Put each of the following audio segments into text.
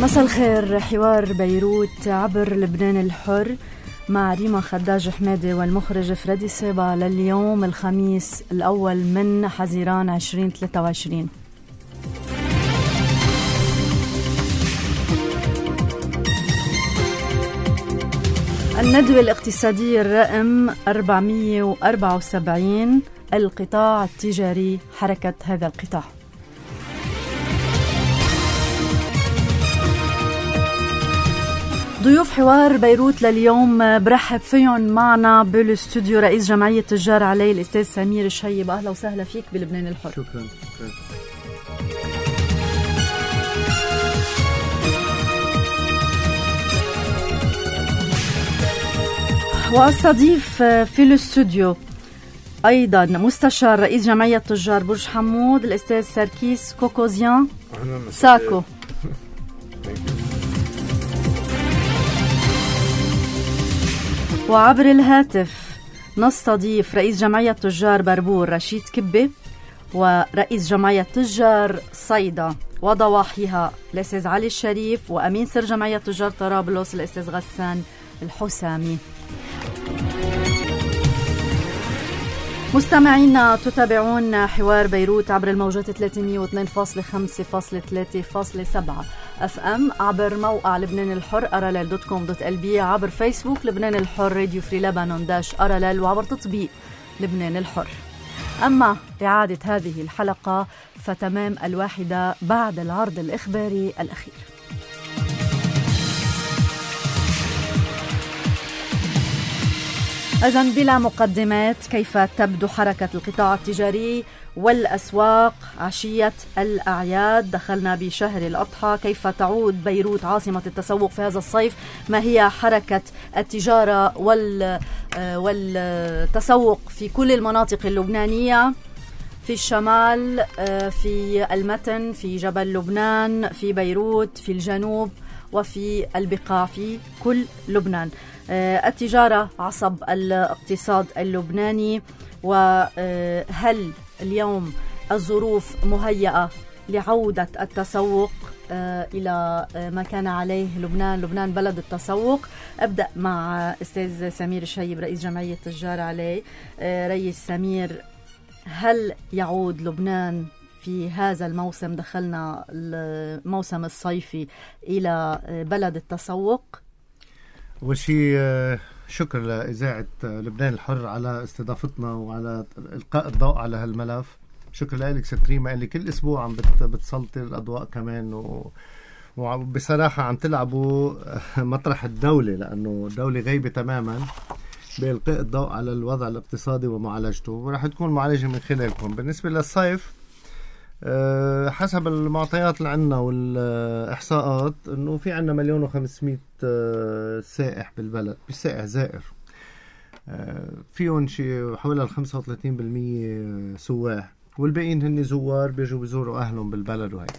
مساء الخير. حوار بيروت عبر لبنان الحر مع ريما خداج حمادي والمخرج فريدي سيبا لليوم الخميس الأول من حزيران 2023. الندوة الاقتصادية الرقم 474 القطاع التجاري، حركة هذا القطاع. ضيوف حوار بيروت لليوم برحب فيهم معنا بالاستوديو رئيس جمعية تجار علي الأستاذ سمير الشيب. أهلا وسهلا فيك بلبنان الحر. شكرا. واستضيف في الاستوديو أيضا مستشار رئيس جمعية تجار برج حمود الأستاذ سركيس كوكوزيان ساكو. وعبر الهاتف نستضيف رئيس جمعية تجار بربور رشيد كبي، ورئيس جمعية تجار صيدا وضواحيها الأستاذ علي الشريف، وأمين سر جمعية تجار طرابلس الأستاذ غسان الحسامي. مستمعينا تتابعون حوار بيروت عبر الموجات 302.5.3.7 FM، عبر موقع لبنان الحر rll.com.lb، عبر فيسبوك لبنان الحر راديو فري لبنان داش RLL، وعبر تطبيق لبنان الحر. أما إعادة هذه الحلقة فتمام 1 بعد العرض الإخباري الأخير. إذن بلا مقدمات، كيف تبدو حركة القطاع التجاري والأسواق عشية الأعياد؟ دخلنا بشهر الأضحى، كيف تعود بيروت عاصمة التسوق في هذا الصيف؟ ما هي حركة التجارة والتسوق في كل المناطق اللبنانية، في الشمال، في المتن، في جبل لبنان، في بيروت، في الجنوب، وفي البقاع في كل لبنان؟ التجارة عصب الاقتصاد اللبناني، وهل اليوم الظروف مهيئة لعودة التسوق إلى ما كان عليه لبنان بلد التسوق؟ أبدأ مع أستاذ سمير الشيب رئيس جمعية تجار علي. رئيس سمير، هل يعود لبنان في هذا الموسم، دخلنا الموسم الصيفي، إلى بلد التسوق؟ أول شيء شكر لإذاعة لبنان الحر على استضافتنا وعلى إلقاء الضوء على هالملف. شكر لك ستريما اللي كل أسبوع عم بتسلطي الأضواء كمان، وبصراحة عم تلعبوا مطرح الدولة، لأنه الدولة غايبة تماما بإلقاء الضوء على الوضع الاقتصادي ومعالجته، ورح تكون معالجة من خلالكم. بالنسبة للصيف، حسب المعطيات اللي عنا والإحصاءات إنه في عنا 1,500,000 سائح بالبلد، بالسائح زائر، فيهم شيء حوالي 35% سواح، والباقيين هن زوار بيجوا بيزوروا أهلهم بالبلد. وهيك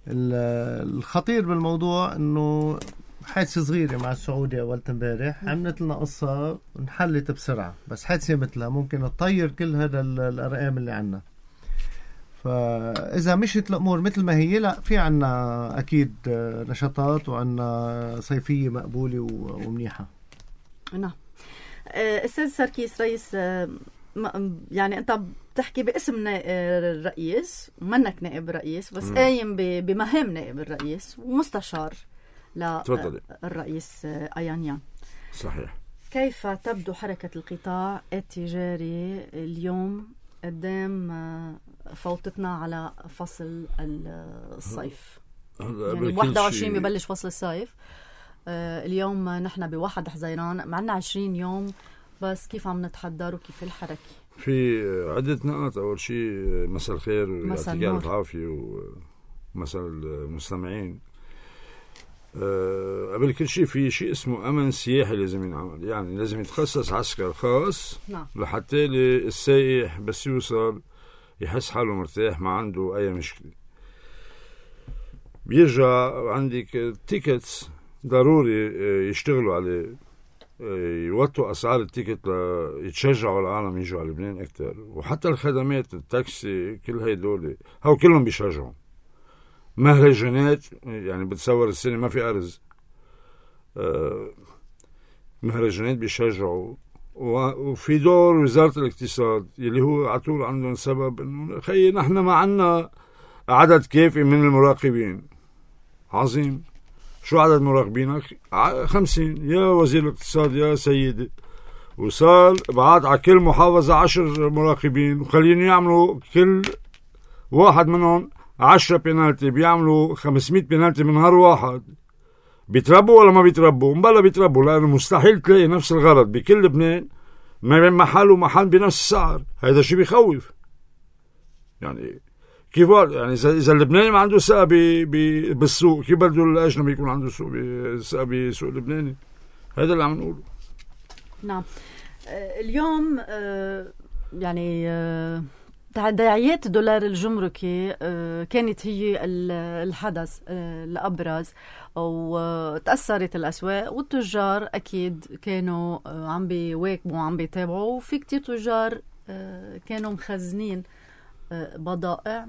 الخطير بالموضوع إنه حادثة صغيرة مع السعودية أول امبارح عملت لنا قصة انحلت بسرعة، بس حادثة مثلها ممكن تطير كل هذا الأرقام اللي عنا. فإذا مشت الأمور مثل ما هي، لا، في عنا أكيد نشاطات وعنا صيفية مقبولة ومنيحة. نعم. أستاذ سركيس رئيس، يعني أنت بتحكي باسم الرئيس، منك نائب الرئيس، بس قايم بمهام نائب الرئيس ومستشار للرئيس أيانيان. صحيح. كيف تبدو حركة القطاع التجاري اليوم قدام فوتتنا على فصل الصيف؟ يعني 21 ببلش فصل الصيف، اليوم نحن ب1 حزيران، معنا 20 يوم، بس كيف عم نتحضر وكيف الحركة؟ في عدة نقاط. أول شيء مساء الخير ويعطيك ألف عافية ومساء المستمعين. قبل كل شيء في شيء اسمه أمن سياحي لازم ينعمل، يعني لازم يتخصص عسكر خاص لحتى السائح بس يوصل يحس حاله مرتاح، ما عنده أي مشكلة. بيرجع عندك تيكتس ضروري يشتغلوا عليه، يوطوا أسعار التيكت يتشجعوا العالم يجوا على لبنان أكتر. وحتى الخدمات التاكسي كل هيدول هاو كلهم بيشجعوا، مهرجانات، يعني بتصور السنة ما في أرز، مهرجانات بيشجعوا، وفي دور وزارة الاقتصاد اللي هو عطول عندهم سبب إنه خي نحن ما عنا عدد كافي من المراقبين. عظيم، شو عدد مراقبينك؟ 50 يا وزير الاقتصاد يا سيدي. وصار بعد على كل محافظة 10 مراقبين، وخليني يعملوا كل واحد منهم 10 بينالتي، بيعملوا 500 بينالتي من نهار واحد. بيتربوا ولا ما بيتربوا؟ مبلا بيتربوا، لأنه مستحيل تلاقي نفس الغرض بكل لبنان ما بين محل ومحل بنفس السعر. هذا شيء بيخوف. يعني كيف يعني إذا اللبناني ما عنده ثقة بالسوق، كيف بده الأجنبي يكون عنده ثقة بسوق اللبناني؟ هذا اللي عم نقوله. نعم. اليوم يعني تداعيات الدولار الجمركي كانت هي الحدث الأبرز، وتأثرت الأسواق، والتجار أكيد كانوا عم بيواكبوا وعم بيتابعوا، وفي كتير تجار كانوا مخزنين بضائع.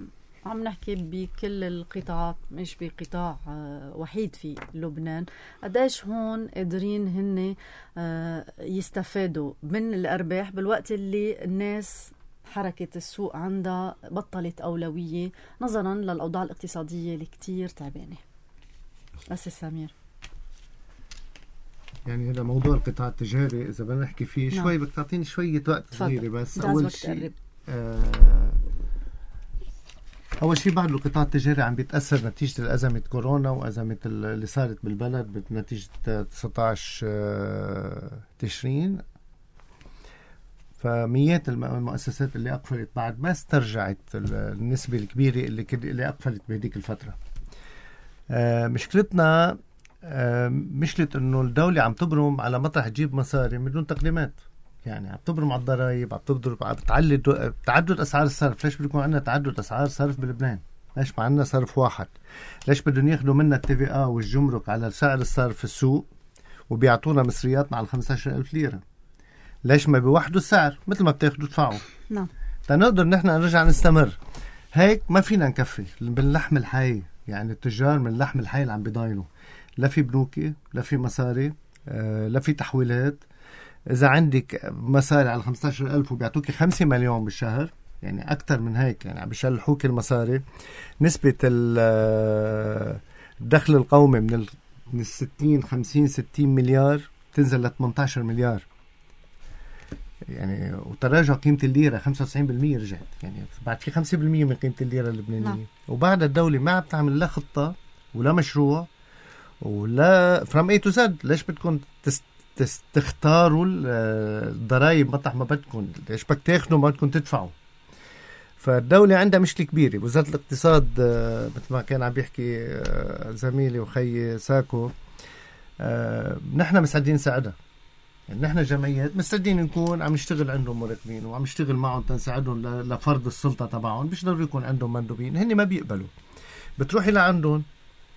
عم نحكي بكل القطاعات، مش بقطاع وحيد في لبنان. قديش هون قادرين هن يستفادوا من الأرباح بالوقت اللي الناس حركة السوق عندها بطلت أولوية نظرا للأوضاع الاقتصادية اللي كتير تعبانة. بس سمير، يعني هذا موضوع القطاع التجاري إذا بدنا نحكي فيه شوي، بدك تعطيني شوية وقت صغيرة بس. أول شيء بعد القطاع التجاري عم بيتأثر نتيجة الأزمة كورونا وأزمة اللي صارت بالبلد بنتيجة 19 تشرين. فميات المؤسسات اللي أقفلت بعد ما استرجعت النسبة الكبيرة اللي أقفلت بهديك الفترة. مشكلتنا مشكلة إنه الدولة عم تبرم على مطرح تجيب مصاري من دون تقديمات. يعني عم تبرم على الضرائب، عم بتعلي تعدد أسعار الصرف. ليش بيكون عندنا تعدد أسعار صرف بلبنان؟ ليش ما عندنا صرف واحد؟ ليش بدهم ياخدوا منا TVA والجمرك على سعر الصرف في السوق وبيعطونا مصرياتنا على 15,000 ليرة؟ ليش ما بيوحدوا السعر مثل ما بتاخدوا تدفعوا؟ نعم. تنقدر نحن نرجع نستمر. هيك ما فينا نكفي باللحم الحي. يعني التجار من اللحم الحي اللي عم بيضاينوا، لا في بنوكي، لا في مصاري، لا في تحويلات. إذا عندك مصاري على 15,000 وبيعطوك 5 مليون بالشهر، يعني أكتر من هيك، يعني عم بيشلحوك المصاري. نسبة الدخل القومي من 60 مليار تنزل ل 18 مليار. يعني وتراجع قيمة الليرة 95% رجعت. يعني بعد في 5% من قيمة الليرة اللبنانية. نعم. وبعد الدولة ما عم تعمل لا خطة ولا مشروع ولا from A to Z. ليش بدكم تختاروا الضرائب مطرح ما بدكم؟ ليش بدك تاخذوا ما بدكم تدفعوا؟ فالدولة عندها مشكلة كبيرة. وزارة الاقتصاد مثل ما كان عم بيحكي زميلي وخي ساكو، نحن مساعدين نساعدها. يعني نحن جمعيات مستعدين نكون عم نشتغل عندهم مراقبين وعم نشتغل معهم تنساعدهم لفرض السلطة تبعهم. مش ضروري يكون عندهم مندوبين، هني ما بيقبلوا. بتروحي لعندهم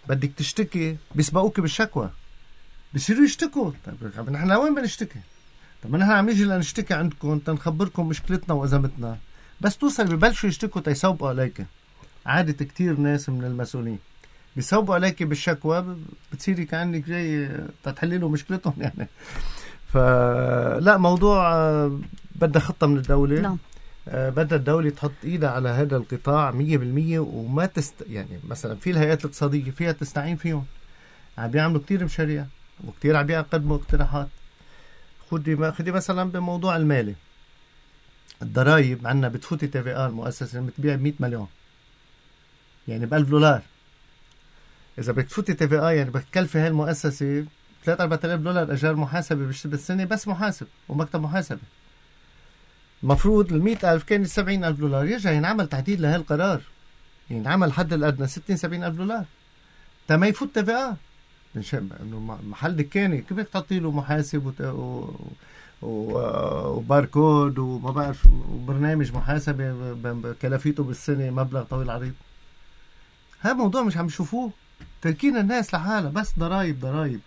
بدك تشتكي بيسبقوك بالشكوى، بيصيروا يشتكوا. طيب نحن وين بنشتكي؟ طب نحن عم نيجي لنشتكي عندكم تنخبركم مشكلتنا وأزمتنا، بس توصل ببلشوا يشتكوا تيسوبوا عليك. عادة كتير ناس من المسؤولين بيسوبوا عليك بالشكوى، بتصيري كأنك جاي تحللوا مشكلتهم. يعني فلا، موضوع بدها خطة من الدولة. نعم. بدها الدولة تحط إيدها على هذا القطاع 100%. وما يعني مثلا في الهيئات الاقتصادية فيها تستعين فيهم، عم بيعملوا كتير مشاريع وكتير عم بيقدموا اقتراحات. خدي مثلا بموضوع المالي، الضرائب عنا بتفوتي TVA المؤسسة بتبيع ب100 مليون، يعني $1,000. إذا بتفوتي TVA يعني بتكلفي هاي المؤسسة $3,000-4,000 أجار محاسبة بالسنة، بس محاسب ومكتب محاسبة. المفروض ال100,000 كان $70,000. يرجع ينعمل تعديل لهي القرار، ينعمل حد الأدنى $60,000-70,000 تما يفوت TVA. إنه محل دكاني كيف بدك تعطي له محاسب وباركود وما بعرف وبرنامج محاسبة بكلفيته بالسنة مبلغ طويل عريض؟ هذا موضوع مش عم يشوفوه. تركين الناس لحالها بس ضرائب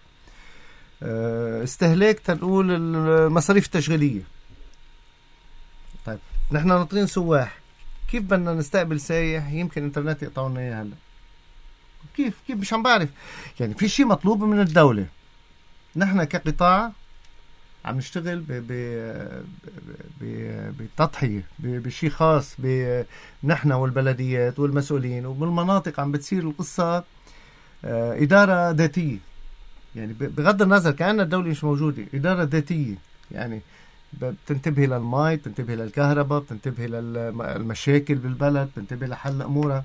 استهلاك. تنقول المصاريف التشغيلية. طيب نحن ناطرين سواح، كيف بدنا نستقبل سايح؟ يمكن انترنت يقطعونا اياه هلا. كيف مش عم بعرف. يعني في شيء مطلوب من الدولة. نحن كقطاع عم نشتغل بتضحية بشيء خاص نحن والبلديات والمسؤولين، وبالمناطق عم بتصير القصة إدارة ذاتية. يعني بغض النظر كأن الدولة مش موجودة، إدارة ذاتية. يعني بتنتبه للماء، بتنتبه للكهرباء، بتنتبه للمشاكل بالبلد، بتنتبه لحل أمورها.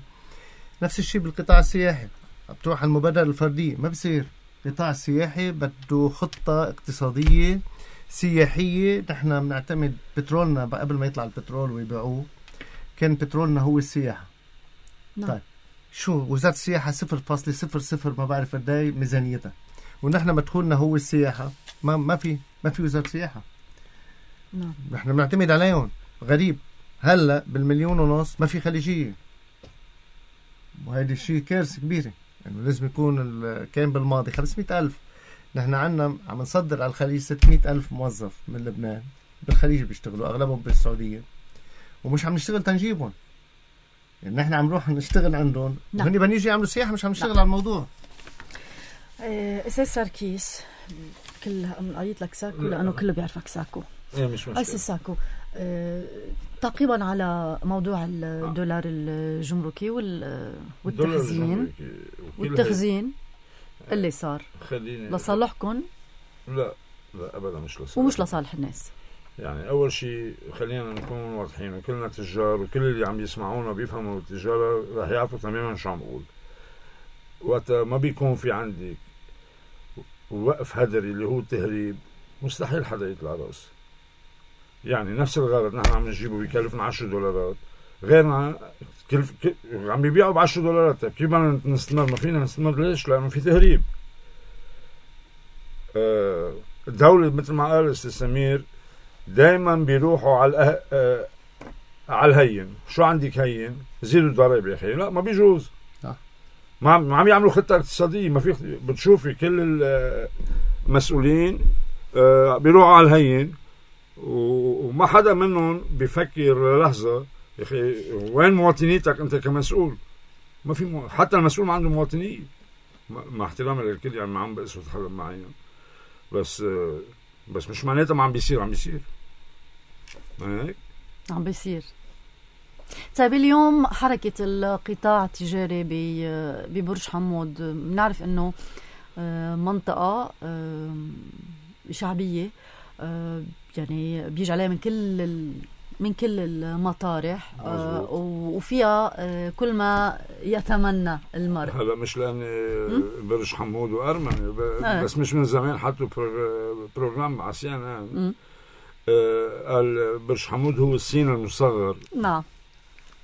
نفس الشيء بالقطاع السياحي، بتروح المبادرة الفردية ما بصير. القطاع السياحي بده خطة اقتصادية سياحية. نحن بنعتمد بترولنا قبل ما يطلع البترول ويبيعوه كان بترولنا هو السياحة. طيب شو وزارة السياحة 0.00 ما بعرف قداي ميزانيتها، ونحن مدخولنا هو السياحة. ما في وزارة سياحة. نحن بنعتمد عليهم. غريب هلا ب1.5 ما في خليجية، وهذا الشيء كارثة كبيرة. يعني لازم يكون كان بالماضي 500,000. نحن عنا عم نصدر على الخليج 600,000 موظف من لبنان بالخليج بيشتغلوا، أغلبهم بالسعودية، ومش عم نشتغل تنجيبهم. يعني نحن عم نروح نشتغل عندهم وهني بنيجي يعملوا سياحة، مش عم نشتغل على الموضوع. أستاذ سركيس، كل قايت لك ساكو لأنه كله بيعرفك ساكو. مش مشكلة. أستاذ ساكو، تعقيبا على موضوع الدولار الجمركي والتخزين اللي صار لصالحكم؟ لا أبدا مش لصالح، ومش لصالح الناس. يعني أول شيء خلينا نكون واضحين، وكلنا تجار وكل اللي عم يسمعونا بيفهموا التجارة رح يعرفوا تماما شو عم بقول. وقت ما بيكون في عندك وقف هدري اللي هو التهريب، مستحيل حدا يطلع راس. يعني نفس الغرض نحن عم نجيبه بيكلفنا $10، غيرنا عم بيبيعوا $10. طيب كيف بدنا نستمر؟ ما فينا نستمر. ليش؟ لأنه في تهريب. الدولة مثل ما قال أستاذ سمير دايما بيروحوا على الهين. شو عندك هين؟ زيدوا الضرائب يا أخي. لا، ما بيجوز. ما عم يعملوا خطة اقتصادية. ما في. بتشوفي كل المسؤولين بيروحوا على الهين، وما حدا منهم بيفكر لحظة يا أخي وين مواطنيتك أنت كمسؤول؟ ما في حتى المسؤول ما عنده مواطنية، مع احترامي للكل. يعني ما عم بقصد حدا معين، بس مش معناتها ما عم بيصير. عم بيصير. عم بيصير. طيب اليوم حركة القطاع التجاري ببرج حمود، بنعرف انه منطقة شعبية، يعني بيجي عليها من كل المطارح، وفيها كل ما يتمنى المرء. هلا مش لأن برج حمود وأرمني بس مش من زمان حطوا بروجرام على CNN قال برج حمود هو الصين المصغر. نعم.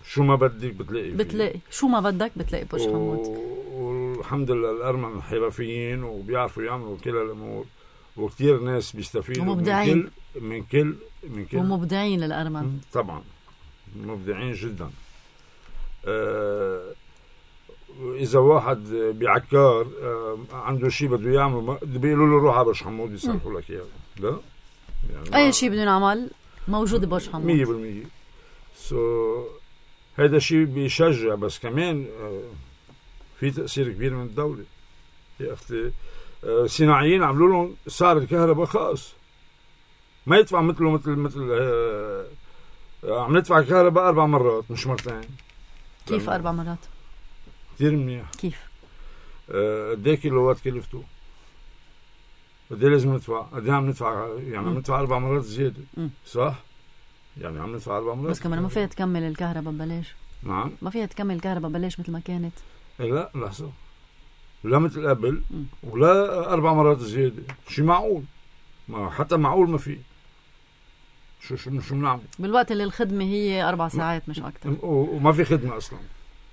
شو ما بدك بتلاقي شو ما بدك بتلاقي برج حمود. والحمد لله الأرمن حرفيين وبيعرفوا يعملوا كل الأمور، وكتير ناس بيستفيدوا ومبدعين من كل ومبدعين الأرمن. طبعا مبدعين جدا. إذا واحد بعكار عنده شيء بده يعمله بيقولوا له روح على برج حمود يصلحوا لك إياه. لا يعني أي شيء بدنا نعمل موجود ببرج حمود 100%. هذا شيء بيشجع، بس كمان في تأثير كبير من الدولة. يا أختي صناعيين عملوا لهم سعر الكهرباء خاص، ما يدفع مثل عم ندفع الكهرباء 4 مرات مش مرتين. كيف 4 مرات؟ كثير منيح. كيف؟ قد ايه كيلووات كلفته؟ قد ايه لازم ندفع؟ قد ايه عم ندفع؟ يعني عم ندفع 4 مرات زيادة. صح؟ يعني عم ندفع 4 مرات. بس كمان ما فيها تكمل الكهرباء ببلاش. نعم، ما فيها تكمل الكهرباء ببلاش مثل ما كانت. لا لحظة، لا مثل قبل ولا 4 مرات زيادة. شي معقول؟ ما حتى معقول ما في. شو بنعمل بالوقت اللي الخدمة هي 4 ساعات مش أكتر، وما في خدمة أصلا.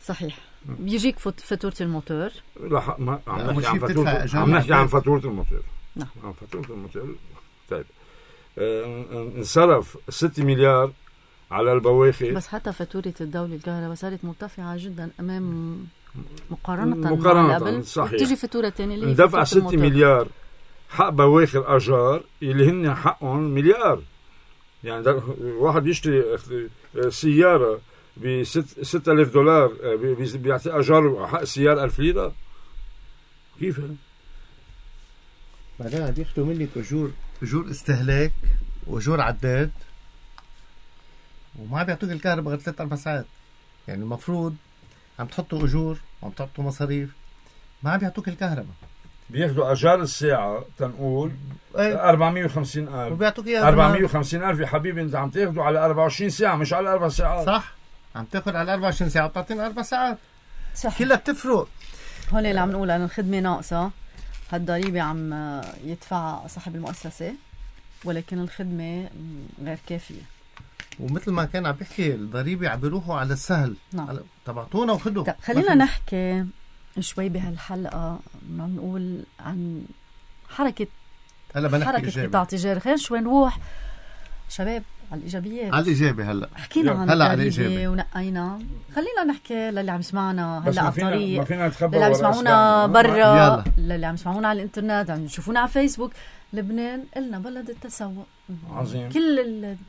صحيح. بيجيك فاتورة الموتور. لا، ما عم نحكي عن فاتورة. عم نحكي عن فاتورة الموتور. نعم، عن فاتورة الموتور. طيب انصرف 6 مليار على البواخر. بس حتى فاتورة الدولة الكهرباء صارت مرتفعة جدا أمام مقارنة قبل. صحيح. تيجي فاتورة تانية اللي دفع 6 مليار حق بواخر أجار اللي هن حقهم مليار. يعني واحد يشتري سيارة $6,000 بيعطي أجار حق سيارة 1000 ليرة. كيف هذا؟ بعدين بياخدوا منك أجور استهلاك وأجور عداد، وما بيعطوك الكهرباء غير 3-4 ساعات. يعني المفروض عم تحطوا أجور وعم تحطوا مصاريف، ما بيعطوك الكهرباء. بياخدوا أجار الساعة تنقول 450,000 وبيعطوك إياها 450,000 يا حبيبي. أنت عم تاخدوا على 24 ساعة مش على 4 ساعات. صح، عم تاخد على 24 ساعة وبتعطينا 4 ساعات. صح، كلها بتفرق. هون اللي عم نقول أن الخدمة ناقصة. هالضريبة عم يدفع صاحب المؤسسة، ولكن الخدمة غير كافية. ومثل ما كان عم بيحكي الضريبة عم بيروحوا على السهل. نعم. تبعتونا وخدوا. طب خلينا نحكي شوي بهالحلقة، عم نقول عن حركة قطاع تجاري. خلينا شوي نروح شباب على الإيجابيات، على الإيجابي. هلا حكينا عن الضريبة ونقينا. خلينا نحكي للي عم يسمعنا هلا على الطريق، للي عم يسمعونا برا، للي عم يسمعونا على الانترنت، عم يشوفونا على فيسبوك. لبنان قلنا بلد التسوق عظيم. كل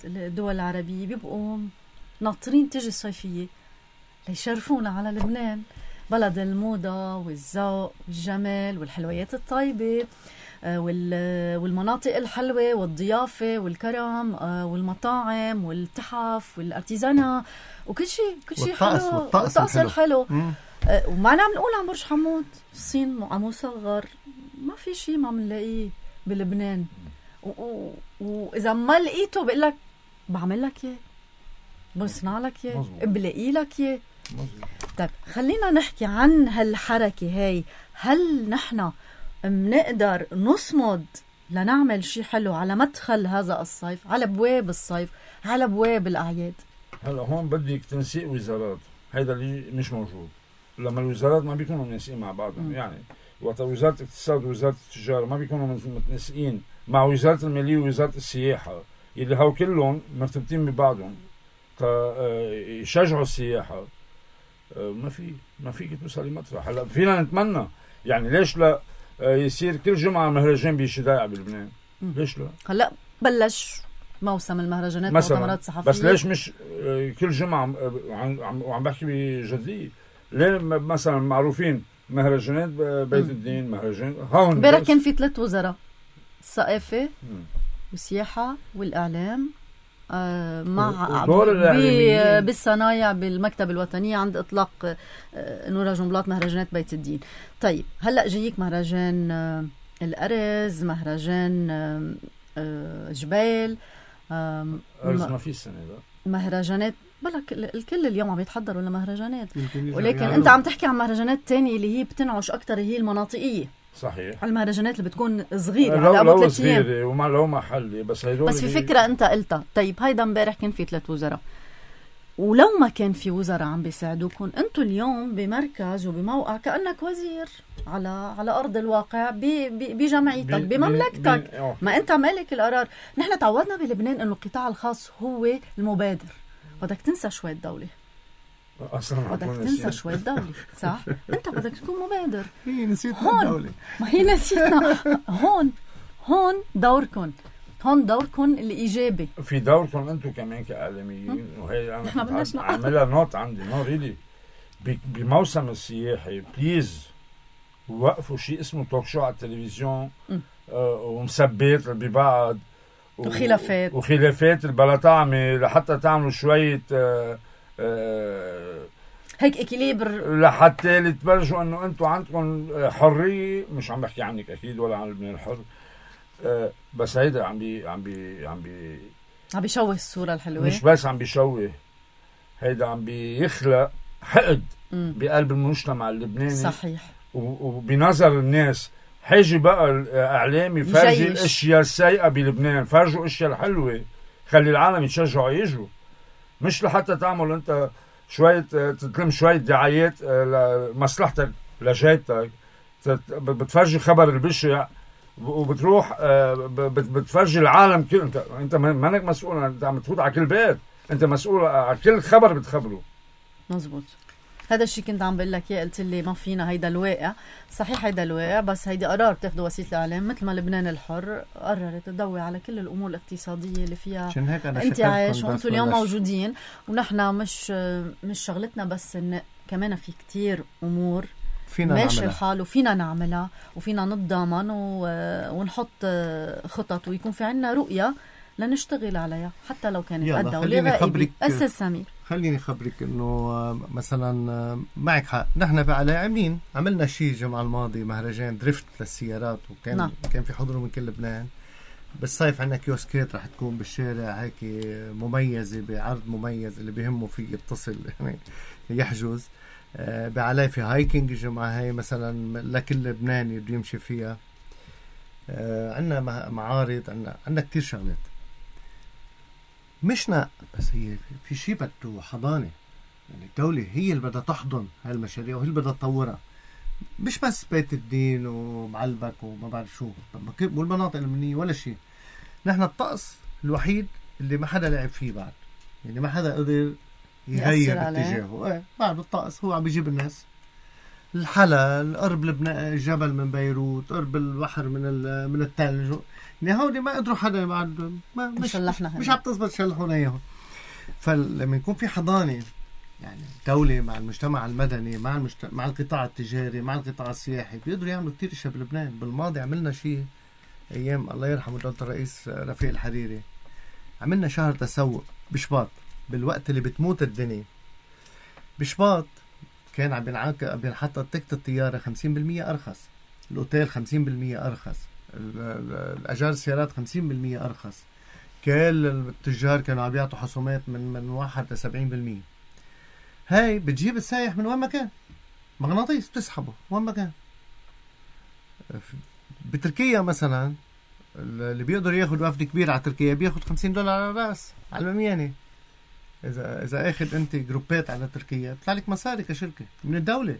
الدول العربية بيبقوا ناطرين تجي الصيفية ليشرفونا على لبنان، بلد الموضة والذوق والجمال والحلويات الطيبة والمناطق الحلوة والضيافة والكرم والمطاعم والتحف والارتيزانا وكل شيء حلو، والطقس الحلو. ومعنا عم نقول عن برج حمود الصين عم مصغر، ما في شيء ما بنلاقيه بلبنان. وإذا ما لقيته بقول لك بعمل لك اياه، بصنع لك اياه، بلاقي لك اياه. طيب خلينا نحكي عن هالحركة هاي. هل نحن منقدر نصمد لنعمل شيء حلو على مدخل هذا الصيف، على بواب الصيف، على بواب الأعياد؟ هلا هون بدك تنسيق وزارات، هيدا اللي مش موجود. لما الوزارات ما بيكونوا منسقين مع بعضهم، يعني وقت وزارة الاقتصاد ووزارة التجارة ما بيكونوا متنسقين مع وزارة المالية ووزارة السياحة، اللي هو كلهم مرتبطين ببعضهم يشجعوا السياحة، ما فيك توصل لمطرح. هلا فينا نتمنى، يعني ليش لا يصير كل جمعة مهرجان بشدايع بلبنان؟ ليش لا؟ هلا بلش موسم المهرجانات والمؤتمرات الصحفية، بس ليش مش كل جمعة؟ وعم بحكي بجدية. ليه مثلا معروفين مهرجانات بيت الدين، مهرجان هون امبارح كان في 3 وزراء، الثقافة والسياحة والإعلام، مع بالصنايع بالمكتب الوطنية عند إطلاق نورا جنبلاط مهرجانات بيت الدين. طيب هلأ جايك مهرجان الأرز، مهرجان جبال، أرز ما في السنة ده مهرجانات بلك الكل اليوم عم يتحضروا لمهرجانات، ولكن انت عم تحكي عن مهرجانات تانية اللي هي بتنعش اكتر، هي المناطقية. صحيح. المهرجانات اللي بتكون صغيرة على ابو 3 ايام وما لو محلي، بس في فكرة انت قلتها. طيب هيدا امبارح كان في 3 وزراء، ولو ما كان في وزراء عم بيساعدوكم انتوا اليوم بمركز وبموقع كأنك وزير على ارض الواقع بجمعيتك بمملكتك، ما انت مالك القرار. نحن تعودنا بلبنان انه القطاع الخاص هو المبادر. بدك تنسى شوي الدولة، بدك تنسى شوي الدولة، صح؟ انت بدك تكون مبادر. هي نسيتنا الدولة، ما هي نسيتنا. هون دوركم، هون دوركم الإيجابي. في دوركم انتم كمان كإعلاميين، وهي انا عاملها نوت عندي ريلي بموسم السياحي. بليز وقفوا شيء اسمه توك شو على التلفزيون ومسبات ببعض وخلافات البلطعمة لحتى تعملوا شوية هيك اكيليبر، لحتى تبرجوا انه انتم عندكم حرية. مش عم بحكي عنك اكيد ولا عن لبنان الحر، بس هيدا عم بيشوه الصورة الحلوة. مش بس عم بيشوه، هيدا عم بيخلق حقد بقلب المجتمع اللبناني. صحيح. وبنظر الناس حاجي بقى الإعلامي فرجي الاشياء السيئة بلبنان، فرجوا الاشياء الحلوة، خلي العالم يتشجعوا يجوا، مش لحتى تعمل انت شوية تتلم شوية دعايات لمصلحتك لجيتك، بتفرجي خبر البشع وبتروح بتفرجي العالم كل. انت مانك مسؤول، انت عم تفوت على كل بيت، انت مسؤول على كل خبر بتخبره. مزبوط. هذا الشيء كنت عم بقول لك اياه، قلت لي ما فينا، هيدا الواقع صحيح، هيدا الواقع، بس هيدي قرار بتاخده وسيله الاعلام، مثل ما لبنان الحر قررت تضوي على كل الامور الاقتصاديه اللي فيها انتعاش، وانتم اليوم موجودين، ونحن مش شغلتنا بس ان كمان في كتير امور فينا ماشي نعملها. الحال وفينا نعملها وفينا نتضامن ونحط خطط ويكون في عنا رؤيه لنشتغل عليها حتى لو كانت الدولة غائبة. أستاذ سمير، خليني خبرك انه مثلا معك حق، نحن بعلى عملنا شيء الجمعة الماضي مهرجان دريفت للسيارات، وكان كان في حضور من كل لبنان. بالصيف عندنا كيوسكات رح تكون بالشارع هيك مميزة بعرض مميز، اللي بيهمه فيه يتصل يعني يحجز. بعلي في هايكينج الجمعة هاي مثلا لكل لبناني بده يمشي فيها. عندنا معارض، عندنا كتير شغلات. مشنا بس هي في شيء بده حضانة، يعني الدولة هي اللي بدها تحضن هاي المشاريع وهي اللي بدها تطورها، مش بس بيت الدين ومعلبك وما بعرف شو والمناطق المنية ولا شيء. نحن الطقس الوحيد اللي ما حدا لعب فيه بعد، يعني ما حدا قدر يغير اتجاهه. بعد الطقس هو عم بيجيب الناس الحلا، قرب الجبل من بيروت، قرب البحر من الثلج، يعني هودي ما قدروا حدا بعد مش عم تزبط شلحونا اياهم. فلما يكون في حضانة، يعني دولة مع المجتمع المدني مع القطاع التجاري مع القطاع السياحي، بيقدروا يعملوا كتير اشياء بلبنان. بالماضي عملنا شيء ايام الله يرحمه دولة الرئيس رفيق الحريري، عملنا شهر تسوق بشباط بالوقت اللي بتموت الدنيا. بشباط كان عم بينحط تكت الطيارة 50% أرخص، الأوتيل 50% أرخص، الأجار السيارات 50% أرخص، كل التجار كانوا عم بيعطوا حصومات من 1 ل 70%. هاي بتجيب السائح من وين ما كان، مغناطيس بتسحبه وين ما كان. بتركيا مثلا اللي بيقدر ياخد وفد كبير على تركيا بياخد $50 على الراس على المياني. إذا أخذ أنت جروبات على تركيا بيطلع لك مصاري كشركة من الدولة،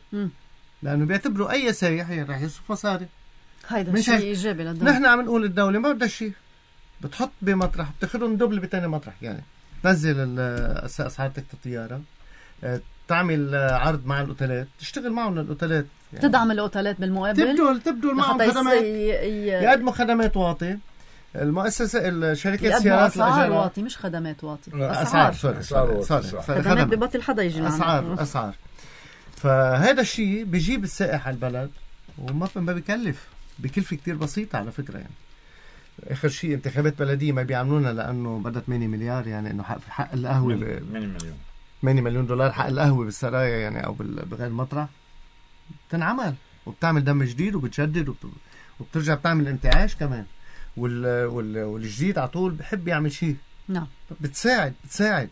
لأنه بيعتبروا أي سائح رح يصرف مصاري. هيدا شيء إيجابي للدولة. نحن عم نقول الدولة ما بدها شيء، بتحط بمطرح بتاخدهم دبل بتاني مطرح، يعني تنزل أسعار تكت الطيارة، تعمل عرض مع الأوتيلات، تشتغل معهم الأوتيلات، يعني تدعم الأوتيلات بالمقابل، تبدل معهم خدمات، يقدموا خدمات واطي. المؤسسة الشركات السيارات أسعار واطي مش خدمات واطي، أسعار خدمات ببطل حدا يجي أسعار. فهذا الشيء بيجيب السائح على البلد وما بيكلف، بكلفة كتير بسيطة على فكرة. يعني آخر شيء انتخابات بلدية ما بيعملونها لأنه بدها 8 مليار، يعني إنه حق القهوة 8 مليون دولار حق القهوة بالسرايا يعني أو بغير مطرح بتنعمل، وبتعمل دم جديد وبتجدد وبترجع بتعمل انتعاش كمان. والجديد على طول بحب يعمل شيء. نعم. بتساعد.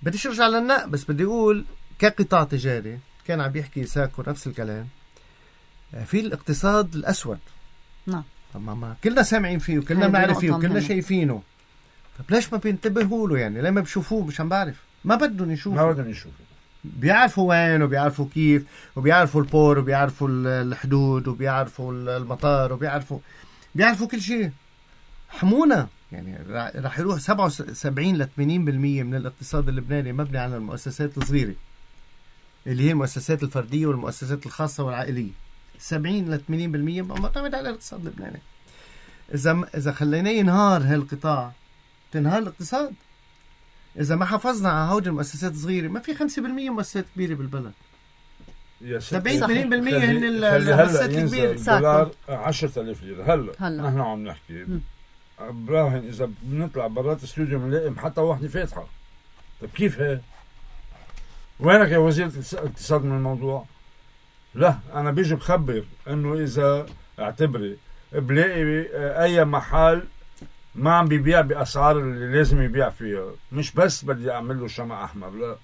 بديش ارجع للنق، بس بدي اقول كقطاع تجاري كان عم بيحكي ساكو نفس الكلام في الاقتصاد الاسود. نعم. ما كلنا سامعين فيه وكلنا بنعرف فيه وكلنا شايفينه. طب ليش ما بينتبهوا له؟ يعني ليه ما بيشوفوه؟ مش عم بعرف، ما بدهم يشوفوا. بيعرفوا وين وبيعرفوا كيف وبيعرفوا البور وبيعرفوا الحدود وبيعرفوا المطار وبيعرفوا كل شيء. حمونا يعني راح يروح 77 ل 80% من الاقتصاد اللبناني مبني على المؤسسات الصغيرة اللي هي المؤسسات الفردية والمؤسسات الخاصة والعائلية. 70 ل 80% معتمد على الاقتصاد اللبناني. إذا خلينا ينهار هالقطاع تنهار الاقتصاد. إذا ما حافظنا على هود المؤسسات الصغيرة ما في 5% مؤسسات كبيرة بالبلد. 70% هن المؤسسات الكبيرة. الدولار 10,000 ليرة. هلا نحن عم نحكي براهن إذا بنطلع برات الاستوديو بنلاقي محطة واحدة فاتحة. طيب كيف هي؟ وينك يا وزير الاقتصاد من الموضوع؟ لا أنا بيجي بخبر إنه إذا اعتبري بلاقي أي محل ما عم بيبيع بأسعار اللي لازم يبيع فيها، مش بس بدي أعمل له شمع أحمر، لا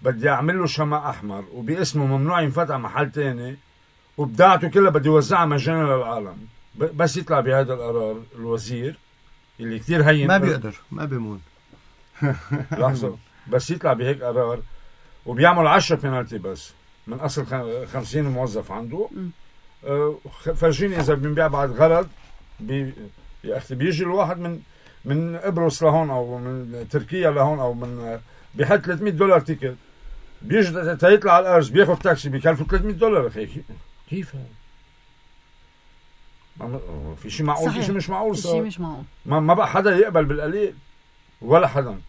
بدي أعمل له شمع أحمر وباسمه ممنوع ينفتح محل تاني وبداعته كلها بدي وزعها مجانا للعالم. بس يطلع بهذا القرار الوزير اللي كتير هين ما بيقدر ما بيمون لحظة، بس يطلع بهيك قرار وبيعمل 10 بينالتي بس من أصل 50 موظف عنده. فرجيني إذا بنبيع بعد غرض يا أختي بيجي الواحد من قبرص لهون أو من تركيا لهون أو من بيحط $300 تيكت بيجي تيطلع على الارز بياخد تاكسي بيكلفه $300 اخي. كيف في شيء معقول؟ في شيء مش معقول صار. في شيء مش معقول. ما بقى حدا يقبل بالقليل ولا حدا.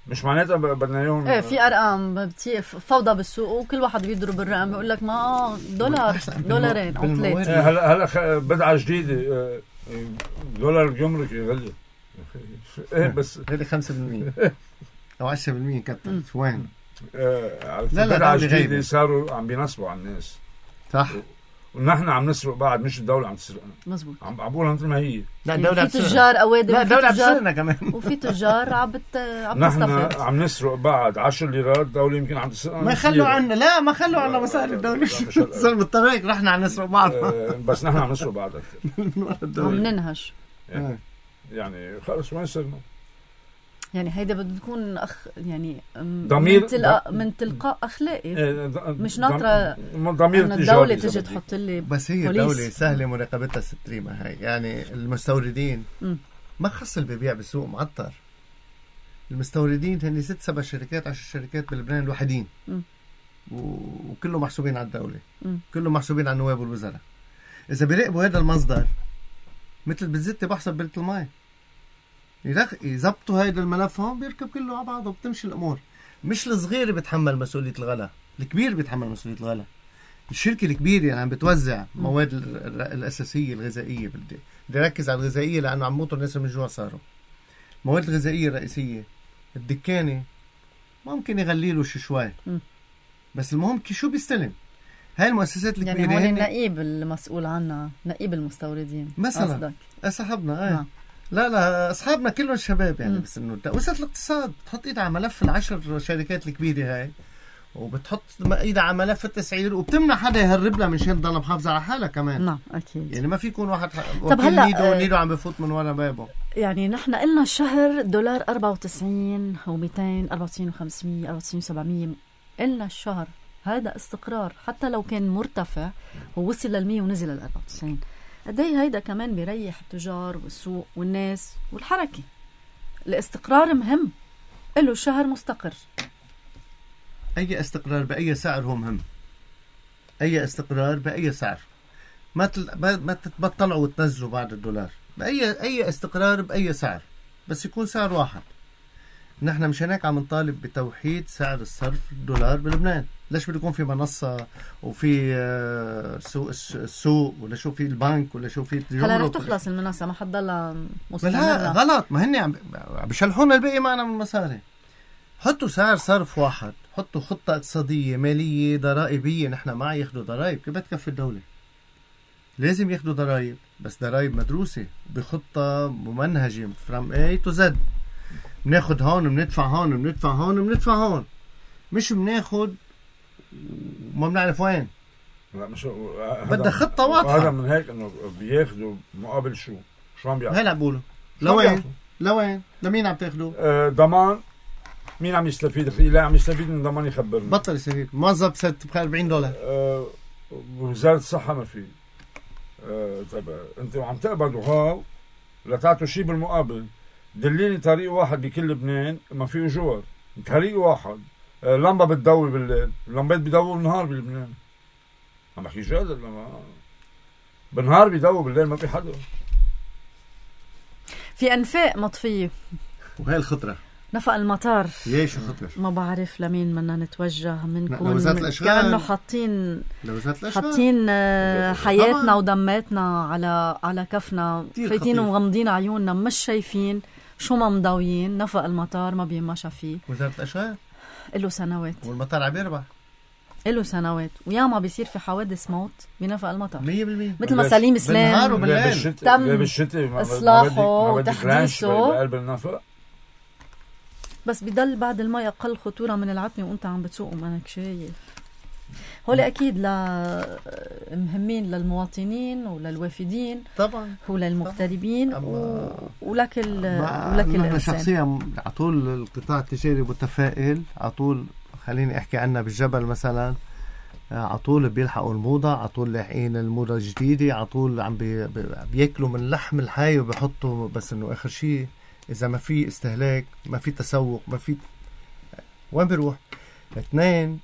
مش معناتها بدنا اياهم. ايه في ارقام فوضى بالسوق وكل واحد بيضرب الرقم بيقول لك ما $1 $2 او 3. هلا بدعه جديده دولار الجمرك غلي. ايه بس غلي 5% او 10% كتر وين؟ لا بدعه جديده صاروا عم بينصبوا على الناس. صح. ونحن عم نسرق بعد، مش الدولة عم تسرقنا. مزبوط. عم بقولها مثل ما هي. لا الدولة في تجار أوادم. لا الدولة بتسرقنا كمان. وفي تجار عم تستفيد. نحن عم نسرق بعد 10 ليرات، الدولة يمكن عم تسرقنا. ما يخلوا عنا، لا ما خلوا عنا مصاري الدولة. صار بالطريق رحنا عم نسرق بعض. بس نحن عم نسرق بعد أكثر. عم ننهش. يعني خلص وين صرنا؟ يعني هيدا بده تكون يعني ضمير من تلقاء اخلاقي. مش ناطره ضمير الدوله تجي تحط لي. بس هي الدوله سهله مراقبتها ستريمه هاي. يعني المستوردين ما خص اللي بيبيع بالسوق معطر. المستوردين هن 6-7 شركات 10 شركات بلبنان الوحيدين، وكله محسوبين على الدوله، كله محسوبين على النواب والوزراء. اذا بيراقبوا هذا المصدر مثل بالزيت بحسب بلة الماء، يزبطوا هيدا الملف هون بيركب كله على بعضه وبتمشي الامور. مش الصغير بيتحمل مسؤوليه الغلا، الكبير بيتحمل مسؤوليه الغلا. الشركه الكبيره يعني عم بتوزع مواد الاساسيه الغذائيه. بدي ركز على الغذائيه لانه عم موتوا الناس من جوا. صاروا مواد الغذائيه الرئيسيه الدكانه ممكن يغلي له شوي، بس المهم شو بيستلم. هاي المؤسسات الكبيره يعني هون النقيب المسؤول عنها، نقيب المستوردين مثلا صاحبنا. لا اصحابنا كلهم شباب يعني. بس انه وزارة الاقتصاد بتحط ايدها على ملف ال10 شركات الكبيره هاي، وبتحط ايدها على ملف التسعير، وبتمنع حدا يهرب لها من شان تضل محافظه على حالها كمان. نعم اكيد. يعني ما في يكون واحد طب هلا نيدو عم بفوت من ورا بابه. يعني نحن قلنا الشهر $94 و200 94 و500 94 و700. قلنا الشهر هذا استقرار، حتى لو كان مرتفع ووصل لل100 ونزل لل94. قديه هيدا كمان بيريح التجار والسوق والناس والحركة. الاستقرار مهم، له شهر مستقر. أي استقرار بأي سعر هو مهم. أي استقرار بأي سعر. ما تتبطلعوا وتنزلوا بعد $1. أي استقرار بأي سعر، بس يكون سعر واحد. نحن مش هناك عم نطالب بتوحيد سعر الصرف $1 بلبنان. ليش بده يكون في منصة وفي السوق ولا شو في البنك ولا شو في هلا رح تخلص المنصة، ما حتضلها مستمرة. لا غلط، ما هن عم بيشلحونا الباقي معنا من المصاري. حطوا سعر صرف واحد، حطوا خطة اقتصادية مالية ضرائبية. نحن ما ياخدوا ضرائب، كيف بتكفي الدولة؟ لازم ياخدوا ضرائب، بس ضرائب مدروسة بخطة ممنهجة from A to Z. بناخد هون بندفع هون بندفع هون بندفع هون، مش بناخد وما بنعرف وين. لا مش بدها خطة واضحة. هذا من هيك انه بياخدوا مقابل شو عم بيعملوا؟ هلا بقولوا لوين لمين عم تاخدوا؟ ضمان. مين عم يستفيد؟ لا عم يستفيد من ضمان يخبرنا. بطل يستفيد. موظف صرت ب $40. وزارة الصحة ما في. طيب انتوا عم تقبضوا هاو لا تعطوا شيء بالمقابل. دليني طريق واحد بكل لبنان ما فيه جوار. طريق واحد لمبة بتضوي بالليل، اللمبات بيضووا بالنهار بلبنان. عم بحكي جد لما بالنهار بيضووا بالليل ما في حدا. في أنفاق مطفية. وهي الخطرة نفق المطار. ليش الخطرة؟ ما بعرف لمين بدنا نتوجه. منكون كأنه حاطين حياتنا ودماتنا على كفنا، فايتين ومغمضين عيوننا، مش شايفين شو ما مضويين. نفق المطار ما بيمشى فيه. وزارة الأشغال له سنوات، والمطار عم يربح له سنوات، وياما بيصير في حوادث موت بنفق المطار 100%. مثل ما سليم سلام تم إصلاحه وتحديثه بقلب النفق، بس بيضل بعد الماء أقل خطورة من العتمة وأنت عم بتسوق ومانك شايف. هول أكيد مهمين للمواطنين وللوافدين طبعا وللمغتربين ولك الإنسان. شخصيا على طول القطاع التجاري متفائل على طول. خليني أحكي عنها بالجبل مثلا، على طول بيلحقوا الموضة، على طول لاحقين الموضة الجديدة، على طول عم بياكلوا من لحم الحي وبيحطوا. بس إنه آخر شيء إذا ما في استهلاك، ما في تسوق، ما في وين بيروح؟ اثنين،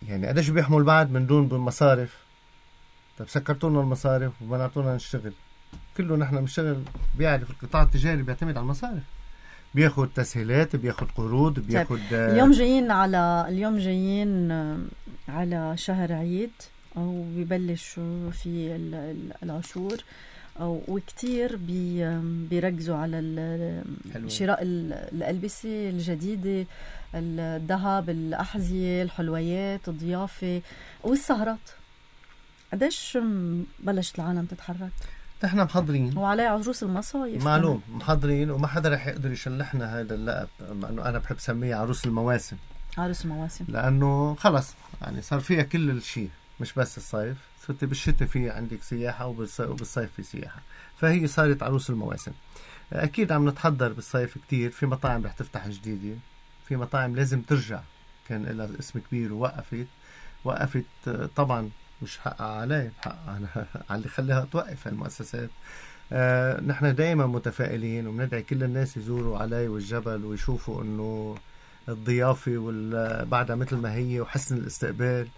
يعني قديش بيحمل بعد من دون بالمصارف. طب سكرتونا المصارف ومنعتونا نشتغل. كله نحن بنشتغل، بيعرف القطاع التجاري بيعتمد على المصارف، بياخد تسهيلات، بياخد قروض، بياخد اليوم جايين على شهر عيد او بيبلش في العشور، وكتير بيركزوا على شراء الألبسة الجديدة، الذهب، الأحذية، الحلويات، الضيافة والسهرات. قديش بلشت العالم تتحرك؟ نحن محضرين، وعليه عروس المصايف معلوم محضرين، وما حدا رح يقدر يشلحنا هذا اللقب، لأنه أنا بحب سميه عروس المواسم. عروس المواسم لأنه خلص يعني صار فيها كل الشيء، مش بس الصيف، صرت بالشتاء في عندك سياحة وبالصيف في سياحة، فهي صارت عروس المواسم. أكيد عم نتحضر بالصيف كتير، في مطاعم رح تفتح جديدة، في مطاعم لازم ترجع كان لها اسم كبير ووقفت طبعا مش حقها علي، حقها على اللي خلاها توقف المؤسسات. نحن دائما متفائلين وبندعي كل الناس يزوروا علي والجبل ويشوفوا انه الضيافة بعدها مثل ما هي، وحسن الاستقبال،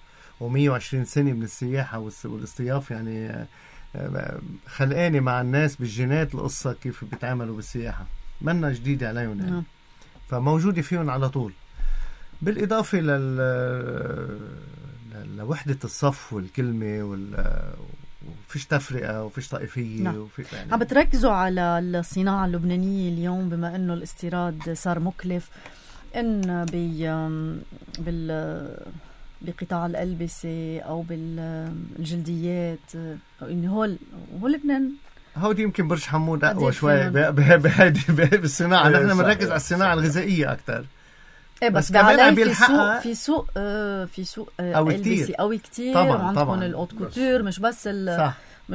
و120 سنة من السياحة والاستضيافة، يعني خلقاني مع الناس بالجينات القصة كيف بيتعاملوا بالسياحة، منا جديدة عليهم يعني. فموجودة فيهم على طول، بالإضافة لوحدة الصف والكلمة وفيش تفرقة وفيش طائفية. يعني عم بتركزوا على الصناعة اللبنانية اليوم، بما انه الاستيراد صار مكلف، ان بقطاع الألبسة او بالجلديات، او ان هو لبنان هودي يمكن برج حمود اقوى شوي بهذه بالصناعة. نحن بنركز على الصناعة الغذائية اكثر. بس كمان في سوق ألبسة قوي كتير، وعندكم الأوت كوتور، مش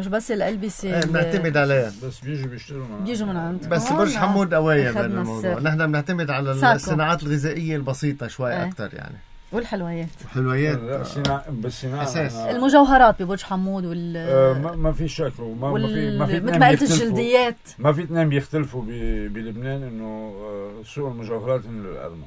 بس الألبسة بنعتمد عليها، بس بيجوا من عندكم. بس برج حمود قوية بالموضوع. نحن بنعتمد على الصناعات الغذائية البسيطة شوي أكتر يعني، والحلويات بالصناعة أساس. المجوهرات ببرج حمود ما في شك، ما في مثل ما قلت الجلديات، ما في اثنين بيختلفوا بلبنان، انه سوق المجوهرات من الأرمن.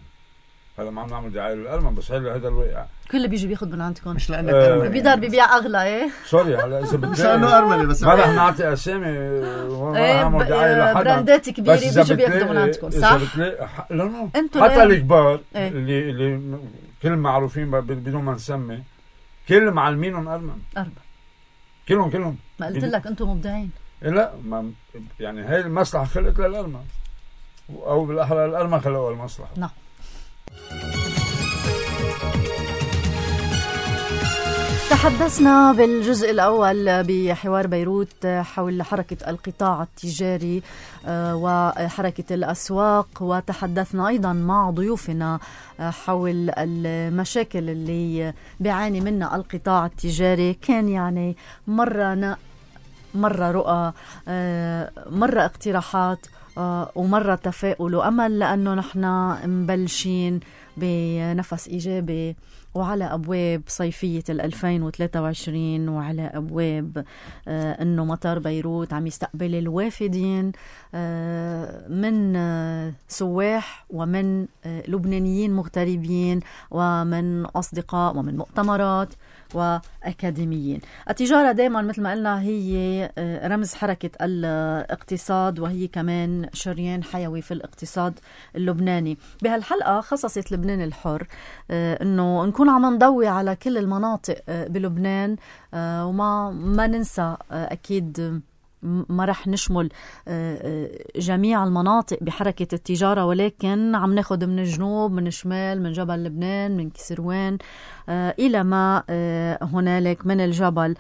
هذا ما عم نعمل دعاية للأرمن، بس هذا الواقع. كل بيجي بياخد من عندكم، مش لأنك بيقدر بيبيع أغلى. ايه سوري، هلا إذا مش لأنه أرمني، بس ما رح نعطي أسامي نعمل دعاية لحدا، براندات كبيرة بيجوا بياخدوا من عندكم، صح؟ لا حتى الكبار اللي كل معروفين بدون ما نسمي، كل معلمينهم أرمن كلهم. ما قلت لك أنتم مبدعين؟ لا، ما يعني هاي المصلحة خلقت للأرمن، أو بالأحرى الأرمن خلقوا المصلحة. نعم. تحدثنا بالجزء الأول بحوار بيروت حول حركة القطاع التجاري وحركة الأسواق، وتحدثنا أيضا مع ضيوفنا حول المشاكل اللي بيعاني منها القطاع التجاري. كان يعني مرة رؤى، مرة اقتراحات، ومرة تفاؤل وأمل، لأنه نحن مبلشين بنفس إيجابي وعلى أبواب صيفية 2023، وعلى أبواب أنه مطار بيروت عم يستقبل الوافدين من سواح ومن لبنانيين مغتربين ومن أصدقاء ومن مؤتمرات وأكاديميين. التجارة دائما مثل ما قلنا هي رمز حركة الاقتصاد، وهي كمان شريان حيوي في الاقتصاد اللبناني. بهالحلقة خصصت لبنان الحر انه نكون عم نضوي على كل المناطق بلبنان، وما ننسى اكيد ما رح نشمل جميع المناطق بحركة التجارة، ولكن عم ناخد من الجنوب، من الشمال، من جبل لبنان، من كسروان إلى ما هنالك من الجبل.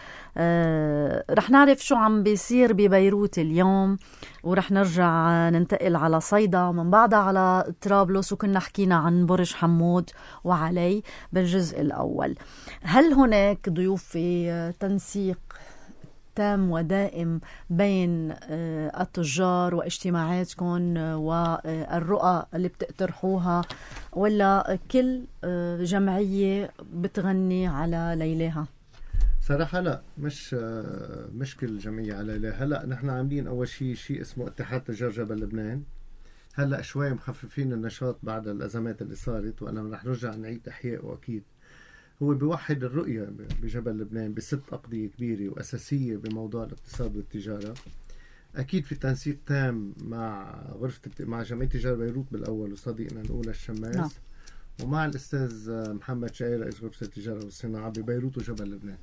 رح نعرف شو عم بيصير ببيروت اليوم، ورح نرجع ننتقل على صيدا، من بعدها على طرابلس، وكنا حكينا عن برج حمود وعلي بالجزء الأول. هل هناك ضيوف في تنسيق تام ودائم بين التجار واجتماعاتكم والرؤى اللي بتقترحوها، ولا كل جمعية بتغني على ليلها؟ صراحة لا، مش كل جمعية على ليلها. لا، نحن عاملين أول شيء اسمه اتحاد تجار جبل لبنان، هلأ شوي مخففين النشاط بعد الأزمات اللي صارت، وأنا رح نرجع نعيد إحيائه أكيد. هو بيوحد الرؤية بجبل لبنان ب6 أقضية كبيرة وأساسية بموضوع الاقتصاد والتجارة. أكيد في تنسيق تام مع مع جمعية تجارة بيروت بالأول وصديقنا الأولى الشماس، نعم. ومع الأستاذ محمد شعير رئيس غرفة التجارة والصناعة ببيروت وجبل لبنان.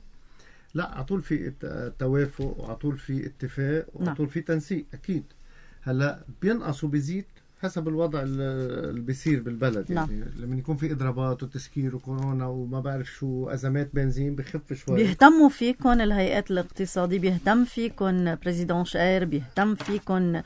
لا، عطول في توافق وعطول في اتفاق وعطول في تنسيق أكيد. هلا بينقص وبيزيد حسب الوضع اللي بيصير بالبلد. يعني لما يكون في اضرابات وتسكير وكورونا وما بعرف شو ازمات بنزين بخف شوي. بيهتموا فيكم الهيئات الاقتصادية، بيهتم فيكم بريزيدون شقير، بيهتم فيكم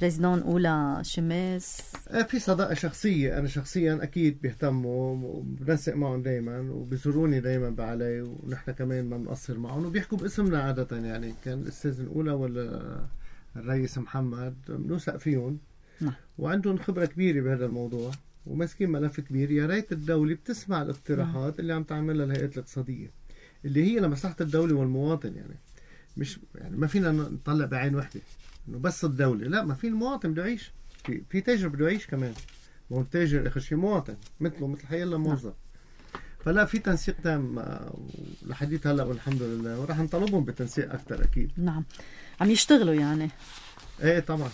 بريزيدون أولى شماس. في صداقة شخصية، أنا شخصيا أكيد بيهتموا وبنسق معهم دايما وبيزوروني دايما بعلي، ونحن كمان ما بنقصر معهم وبيحكوا باسمنا عادة. يعني كان الأستاذ الأولى ولا الرئيس محمد بنوثق فيهم. وعندهم خبرة كبيرة بهذا الموضوع وماسكين ملف كبير. يا ريت الدولة بتسمع الاقتراحات اللي عم تعملها الهيئات الاقتصادية اللي هي لمصلحة الدولة والمواطن. يعني مش يعني ما فينا نطلع بعين واحدة انه بس الدولة، لا، ما في المواطن بده يعيش، في تاجر بده يعيش كمان، ما هو التاجر اخر شيء مواطن مثل حيلا موظف. فلا، في تنسيق تام لحديث هلا والحمد لله، وراح نطلبهم بتنسيق اكثر اكيد. نعم، عم يشتغلوا يعني. ايه طبعا.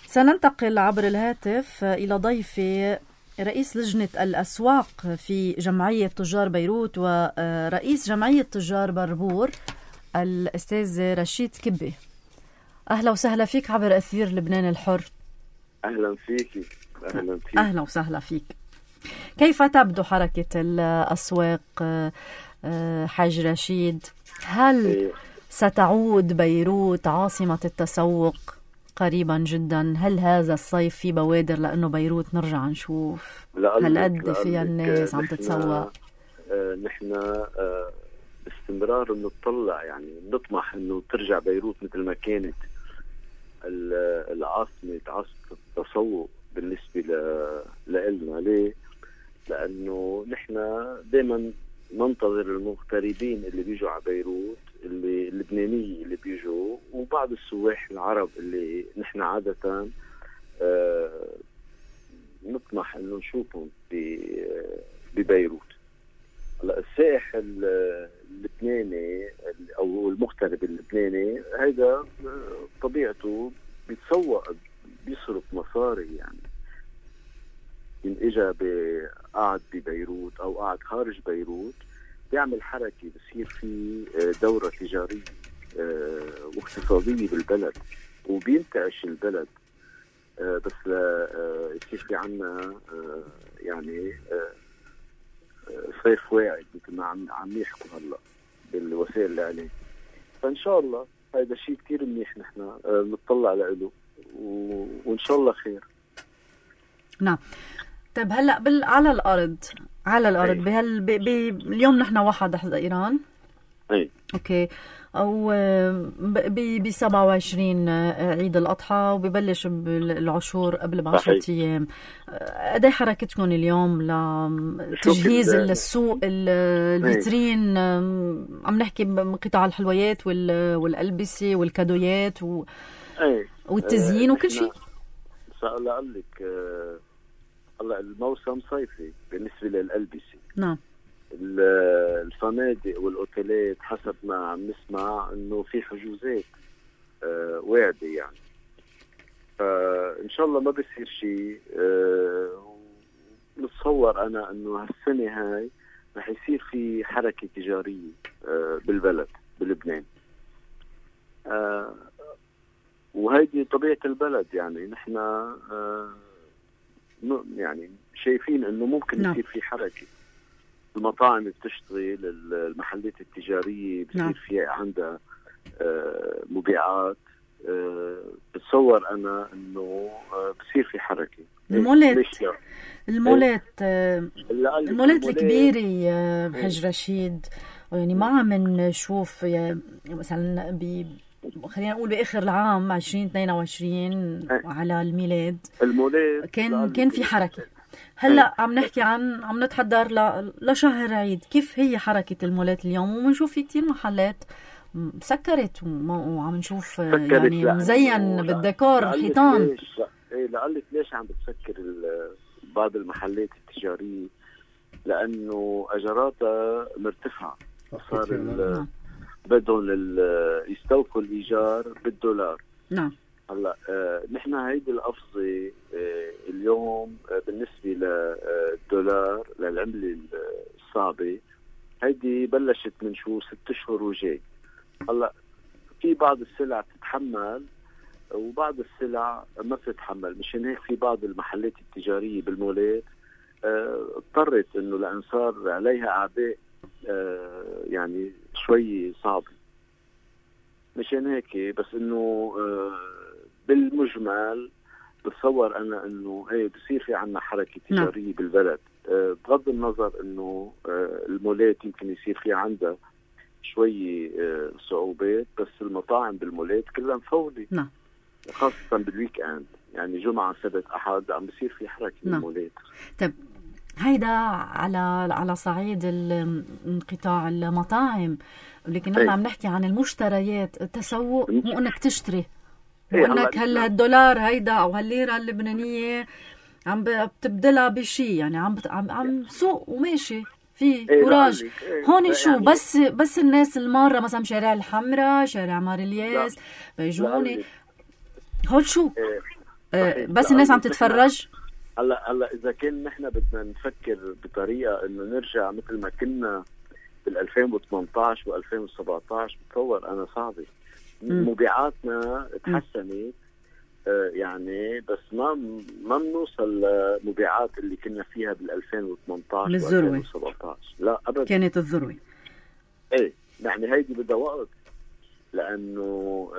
سننتقل عبر الهاتف إلى ضيفي رئيس لجنة الأسواق في جمعية تجار بيروت ورئيس جمعية تجار بربور الأستاذ رشيد كبي. أهلا وسهلا فيك عبر أثير لبنان الحر. أهلا فيك. أهلا وسهلا فيك. كيف تبدو حركة الأسواق حاج رشيد؟ هل ستعود بيروت عاصمة التسوق قريبا جدا؟ هل هذا الصيف في بوادر لأنه بيروت نرجع نشوف هالقد فيها الناس عم تتسوق؟ نحن باستمرار بنطلع، يعني بنطمح انه ترجع بيروت مثل ما كانت العاصمة التسوق بالنسبة لنا. ليه؟ لأنه نحن دائما ننتظر المغتربين اللي بيجوا على بيروت، اللي اللبنانيين اللي بيجوا، وبعض السواح العرب اللي نحن عادة نطمح انه نشوفهم ببيروت. هلا السائح اللبناني او المغترب اللبناني هيدا طبيعته بيتسوق، بيصرف مصاري. يعني إن إجا قاعد ببيروت أو قاعد خارج بيروت بيعمل حركة، بصير في دورة تجارية واقتصادية بالبلد وبينتعش البلد. بس يصير في عنا يعني صيف واعد مثل ما عم يحكوا هلا بالوسائل الإعلام. فإن شاء الله هذا شيء كتير منيح، نحن نطلع له وإن شاء الله خير. نعم. طيب هلا على الارض اليوم نحن 1 حزيران. اي اوكي. او ب 27 عيد الاضحى وببلش بالعشور قبل ب10 ايام. قد حركتكم اليوم لتجهيز السوق الفيترين؟ عم نحكي بقطاع الحلويات والالبسه والكادويات والتزيين وكل شيء. سأقول لك هلا الموسم صيفي بالنسبة للألبسة. نعم. الفنادق والأوتيلات حسب ما عم نسمع إنه في حجوزات واعدة يعني. فإن شاء الله ما بيصير شيء. نتصور أنا إنه هالسنة هاي رح يصير في حركة تجارية بالبلد بلبنان. وهيدي طبيعة البلد. يعني نحن يعني شايفين انه ممكن يصير في حركة. المطاعم بتشتغل، المحلات التجارية بصير في عندها مبيعات. بتصور انا انه بصير في حركة. المولات الكبيرة حج رشيد، يعني ما عم نشوف مثلا خلينا نقول بآخر العام 2022 على الميلاد كان في حركة. هلا عم نحكي عم نتحضر لشهر عيد. كيف هي حركة المولات اليوم؟ ومنشوف في كتير محلات سكرت وعم نشوف يعني مزين بالديكور الحيطان. لقلك ليش عم بتسكر بعض المحلات التجارية؟ لأنه أجراتها مرتفعة، صار بدهم يستوفوا الإيجار بالدولار. نعم. هلا نحن هيدي القفزة اليوم بالنسبة للدولار للعملة الصعبة هيدي بلشت من 6 أشهر وجاي. هلا في بعض السلع تتحمل وبعض السلع ما بتتحمل، مشان هيك في بعض المحلات التجارية بالمولات اضطرت انه لان صار عليها اعباء يعني شوي صعبة. مشان هيك بس انه بالمجمل بتصور انا انه بصير في عنا حركة تجارية بالبلد، بغض النظر انه المولات يمكن يصير في عندها شوي صعوبات، بس المطاعم بالمولات كلها مفولة. نعم. خاصة بالويك اند، يعني جمعة سبت أحد عم بصير في حركة بالمولات. طيب هيدا على صعيد انقطاع المطاعم، لكن نحن عم نحكي عن المشتريات. التسوق مو انك تشتري، مو انك هلا الدولار هيدا او هالليرة اللبنانية عم بتبدلها بشي، يعني عم سوق وماشي في كوراج. هون شو يعني بس الناس المارة مثلا شارع الحمراء، شارع مار الياس، بيجوني هول شو بس الناس عم تتفرج. هلا اذا كان نحن بدنا نفكر بطريقه انه نرجع مثل ما كنا بال 2018 و2017 بتصور انا صعبه. مبيعاتنا تحسنت يعني، بس ما بنوصل لمبيعات اللي كنا فيها بال 2018 و2017. لا ابدا، كانت الذروه. يعني هيدي بدها وقت، لانه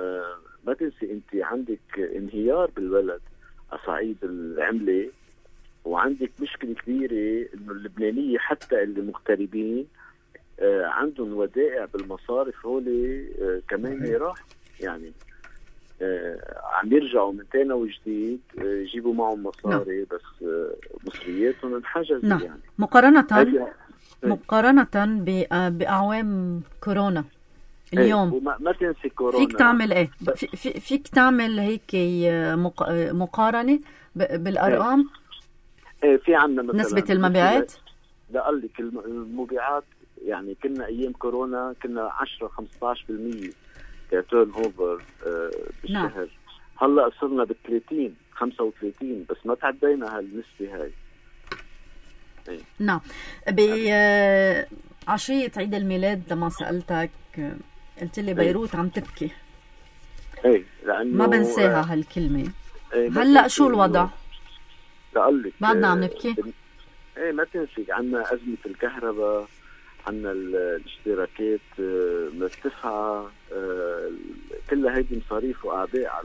ما تنسي انت عندك انهيار بالبلد على صعيد العمله، وعندك مشكله كبيره انه اللبنانيه حتى اللي مغتربين عندهم ودائع بالمصارف، هولي كمان راح يعني عم يرجعوا من تاني وجديد يجيبوا معهم مصاري. بس مصرياتهم انحجزت. يعني مقارنة بأعوام كورونا اليوم ما تنسي كورونا. فيك تعمل فيك تعمل هيك مقارنة بالأرقام؟ في عنا مثلا نسبة المبيعات. لا قال لك المبيعات يعني كنا أيام كورونا كنا 10-15% كتيرن اوفر بالشهر. هلا صرنا ب30 35، بس ما تعدينا هالنسبة هاي. نعم. بعشية عيد الميلاد لما سألتك قلت لي بيروت عم تبكي. لأنه ما بنساها هالكلمة. هلا شو الوضع؟ لقلك بعدنا عم نبكي. ما تنسي عنا أزمة الكهرباء، عنا الاشتراكات مرتفعة، كلها هيدي مصاريف وأعباء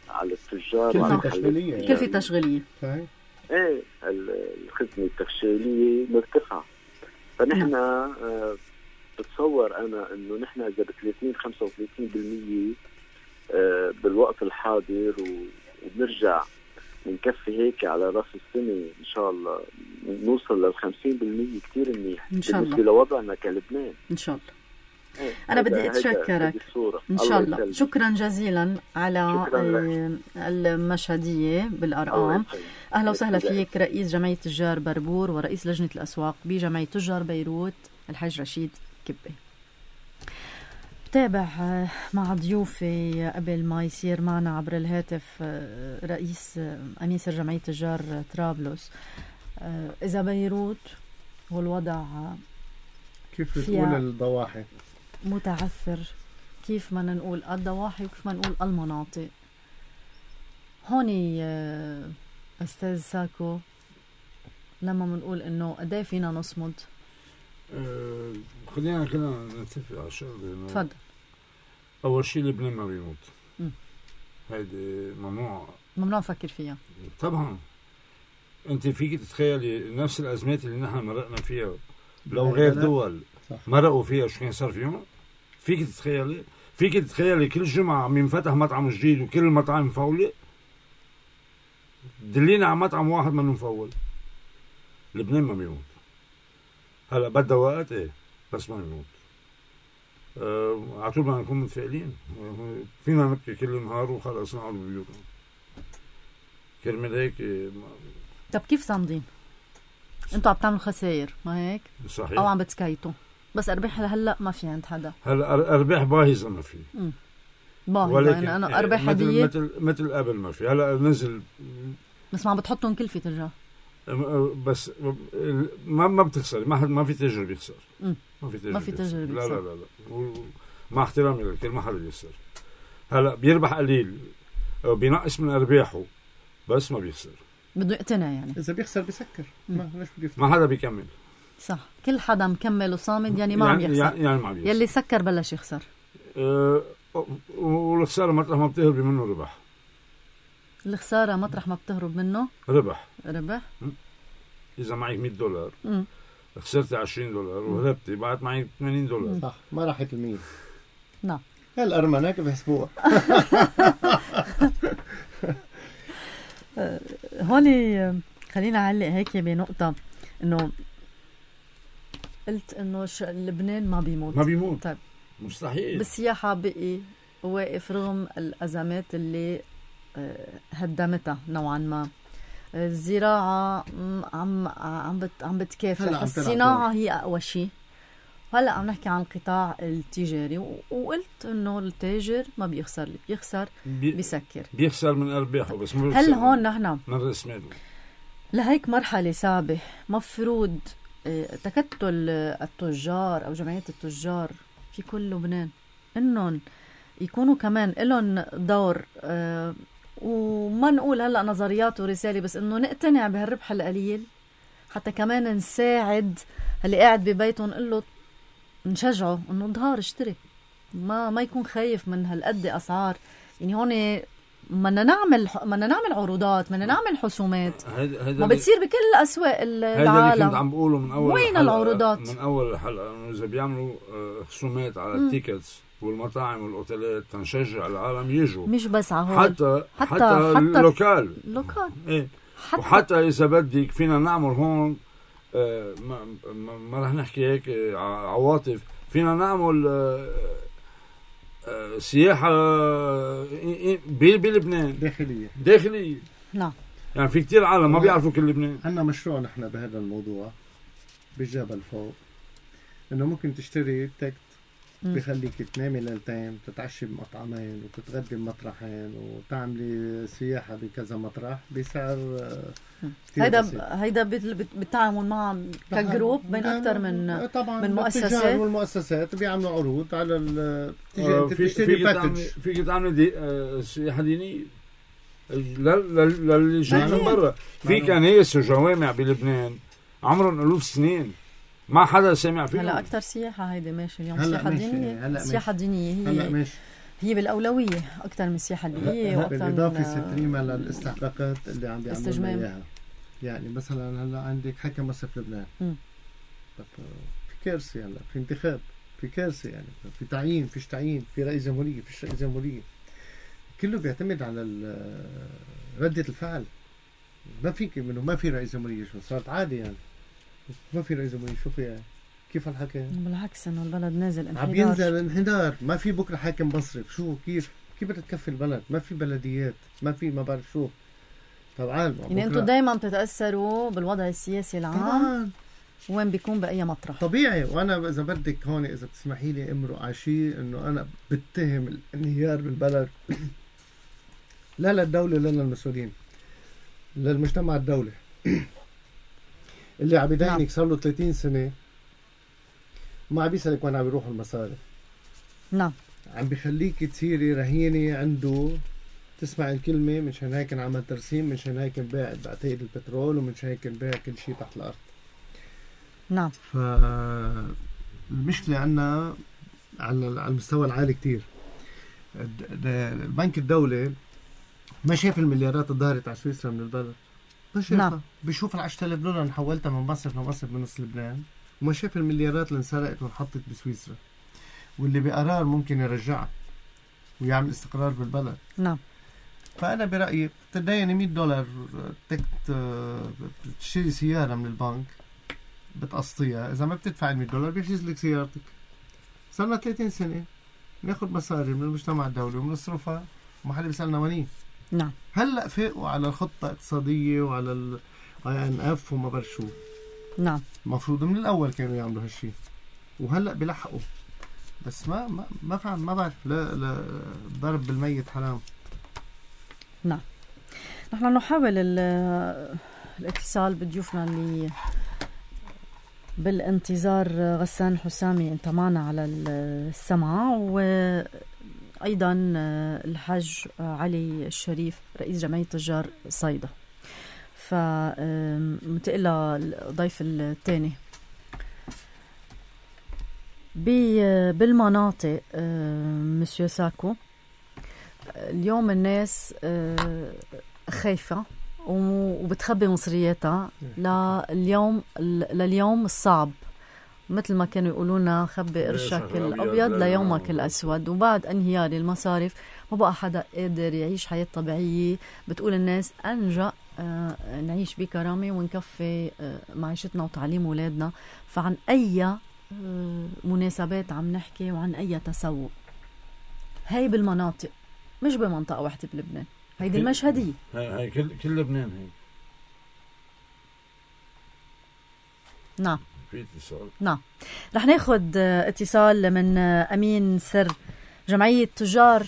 على التجار وعلى التشغيلية. كل في تشغيلية. الخدمة التشغيلية مرتفعة. فنحن بتصور أنا إنه نحن إذا ب30-35% بالوقت الحاضر وبنرجع نكفي هيك على راس السنة إن شاء الله نوصل لل50% كتير منيح بالنسبة لوضعنا كلبنان إن شاء الله. أنا بدي أتشكرك إن شاء الله. شكرا جزيلا على المشهدية بالأرقام. أهلا وسهلا فيك رئيس جمعية تجار بربور ورئيس لجنة الأسواق بجمعية تجار بيروت الحاج رشيد كبة. بتابع مع ضيوفي قبل ما يصير معنا عبر الهاتف رئيس أنيسر جمعية تجار طرابلس. إذا بيروت والوضع كيف بتقول الضواحي متعثر، كيف ما نقول الضواحي وكيف ما نقول المناطق هوني أستاذ ساكو لما منقول إنه قديه فينا نصمد؟ خلينا كنا نتفق على شغله. تفضل. أول شيء لبنان ما بيموت. هيدي ممنوع نفكر فيها طبعا. أنت فيك تتخيلي نفس الأزمات اللي نحن مرقنا فيها لو غير دول مرقوا فيها شو كان صار فيهم؟ فيك تتخيلي كل جمعة عم ينفتح مطعم جديد وكل المطاعم مفولة؟ دلينا على مطعم واحد منه مفول. لبنان ما بيموت. هلا بدها وقت بس ما بيموت. على طول بدنا نكون متفائلين. فينا نبكي كل نهار وخلص نقعد ببيوتنا. كرمال هيك طب كيف صامدين؟ انتوا عم تعملوا خسائر ما هيك؟ صحيح. او عم بتسكيتوا بس ارباح لهلا ما في عند حدا. هلا ارباح باهظه ما في. باهظه يعني انا ارباح هديه مثل قبل ما في. هلا نزل بس ما عم بتحطهم كلفه ترجع. بس ما بتخسر. ما في تاجر بيخسر. ما في تاجر بيخسر. لا مع احترامي للكل ما حدا بيخسر. هلا بيربح قليل بينقص من ارباحه بس ما بيخسر. بده يقتنع يعني. اذا بيخسر بيسكر. ليش بده ما حدا بيكمل. صح. كل حدا مكمل وصامد يعني ما عم يخسر. يعني ما عم يخسر. يلي سكر بلش يخسر. والخساره مطرح ما بتهرب منه ربح. الخساره مطرح ما بتهرب منه ربح. اذا معك $100 خسرتي $20 وهربتي بعد معي $80. صح. ما راحت المية. نعم. هالأرمنة كيف بيحسبوها؟ هون خلينا أعلق هيك بنقطة إنه قلت إنه لبنان ما بيموت. طيب مستحيل. بالسياحة بقي واقف رغم الأزمات اللي هدمتها نوعا ما. الزراعة عم بتكافح. الصناعة هي أقوى شيء. هلا عم نحكي عن القطاع التجاري وقلت انه التاجر ما بيخسر. اللي بيخسر بيخسر من ارباحه بس مو. هل هون نحن من راس ماله لهيك مرحله صعبه مفروض تكتل التجار او جمعيه التجار في كل لبنان انهم يكونوا كمان لهم دور، وما نقول هلا نظريات ورساله بس انه نقتنع بهالربح القليل حتى كمان نساعد اللي قاعد ببيته نقول له نشجعه انه ظهر اشتري، ما يكون خايف من هالقد اسعار. يعني هون بدنا نعمل عروضات، بدنا نعمل حسومات ما بتصير بكل اسواق العالم. هذا اللي كنت عم بقوله من اول وين العروضات من اول الحلقه انه اذا بيعملوا خصومات على التيكتس والمطاعم والاوتيلات تنشجع العالم يجوا، مش بس على هون حتى اللوكال ايه. وحتى اذا بدك فينا نعمل هون ما رح نحكي هيك عواطف، فينا نعمل سياحة بلبنان داخلية. نعم. يعني في كتير عالم ما بيعرفوا كل لبنان. عندنا مشروع نحن بهذا الموضوع بالجبل فوق، انه ممكن تشتري تكت بخليك تنامي ليلتين، تتعشي بمطعمين وتتغدي بمطرحين وتعملي سياحة بكذا مطرح بسعر هيدا بالتعامل مع كجروب بين أكثر من طبعا من مؤسسات، والمؤسسات بيعملوا عروض على تشتري باكج. فيك تعمل سياحة دينية للي جاي من برا. في كنايس وجوامع بلبنان عمرهم ألوف سنين ما حدا سمع فيهم. هلا أكثر سياحة هيدي ماشي اليوم سياحة دينية. السياحة الدينية هي بالأولوية أكثر من السياحة الدينية، وأكثر بالإضافة ستريمة للاستحقاقات اللي عم بيعملوا إياها. يعني مثلا هلا عندك حكم مصرف لبنان، في كارثة، هلا في انتخاب، في كارثة، يعني في تعيين، فيش تعيين، في رئيس جمهورية، فيش رئيس جمهورية، كله بيعتمد على ردة الفعل. ما فيك منه ما في رئيس جمهورية، شو صارت عادي يعني ما في رئيس جمهورية، شو فيها؟ كيف الحكي؟ بالعكس انه البلد نازل انحدار، عم بينزل انحدار. ما في بكره حاكم مصرف، شو كيف بدها تكفي البلد؟ ما في بلديات، ما في ما بعرف شو. طبعا يعني انتم دائما بتتاثروا بالوضع السياسي العام وين بيكون باي مطرح طبيعي. وانا اذا بدك هون اذا بتسمحي لي امرق على شيء، انه انا بتهم الانهيار بالبلد لا للدوله لا للمسؤولين، للمجتمع الدولي اللي عم يدينك صار له 30 سنه ما عم بيسألك وين عم بيروح المصاري. نعم. عم بيخليك تصيري رهينة عنده، تسمع الكلمة، منشان هيك عمل ترسيم، منشان هيك انباع بعتقد البترول، ومنشان هيك انباع كل شيء تحت الأرض. نعم. فالمشكلة عنا على المستوى العالي كتير. البنك الدولي ما شاف المليارات الظاهرة على سويسرا من البلد، ما شافها. نعم. بيشوف $10,000 اللي حولتها من مصرف لمصرف من نص لبنان، وما شاف المليارات اللي انسرقت وانحطت بسويسرا، واللي بقرار ممكن يرجعها ويعمل استقرار بالبلد. نعم. فأنا برأيي بتديني $100 بتشتري سيارة من البنك بتقسطيها، إذا ما بتدفع $100 بيحجز لك سيارتك. صارنا 30 سنة ناخد مصاري من المجتمع الدولي وبنصرفها وما حدا بيسألنا وين. نعم. هلأ فاقوا على الخطة الاقتصادية وعلى IMF وما برشو. نعم. مفروض من الأول كانوا يعملوا هالشي، وهلأ بيلحقوا، بس ما بعرف. لا ضرب بالميت حرام. نعم. نحن نحاول الاتصال بضيوفنا اللي بالانتظار. غسان حسامي انت معنا على السمع، وأيضا الحاج علي الشريف رئيس جمعية تجار صيدا. فمنتقل للضيف الثاني. بالمناطق مسيو ساكو اليوم الناس خايفة وبتخبي مصرياتها لليوم الصعب، مثل ما كانوا يقولونا خبي قرشك الأبيض ليومك الأسود. وبعد انهيار المصارف ما بقى حدا قادر يعيش حياة طبيعية. بتقول الناس أنجأ نعيش بكرامة ونكفي معيشتنا وتعليم أولادنا. فعن أي مناسبات عم نحكي وعن أي تسوق؟ هاي بالمناطق، مش بمنطقة واحدة بلبنان. هيدي المشهدية، هاي كل لبنان هيك. نعم. في اتصال. نعم. رح ناخد اتصال من أمين سر جمعية تجار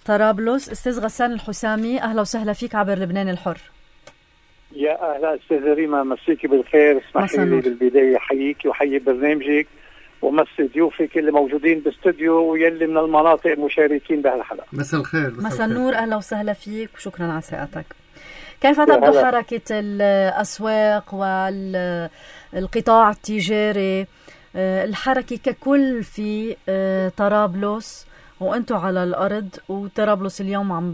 طرابلس، أستاذ غسان الحسامي. أهلا وسهلا فيك عبر لبنان الحر. يا أهلا أستاذ ريما، مسيكي بالخير. اسمحي لي بالبداية حييكي وحيي برنامجك ومسي ضيوفك اللي موجودين باستوديو ويلي من المناطق المشاركين بهالحلقة. مساء الخير. مساء النور، أهلا وسهلا فيك وشكرا على ساعتك. كيف تبدو حركة الأسواق والقطاع التجاري، الحركة ككل في طرابلس وأنتوا على الأرض؟ وطرابلس اليوم عم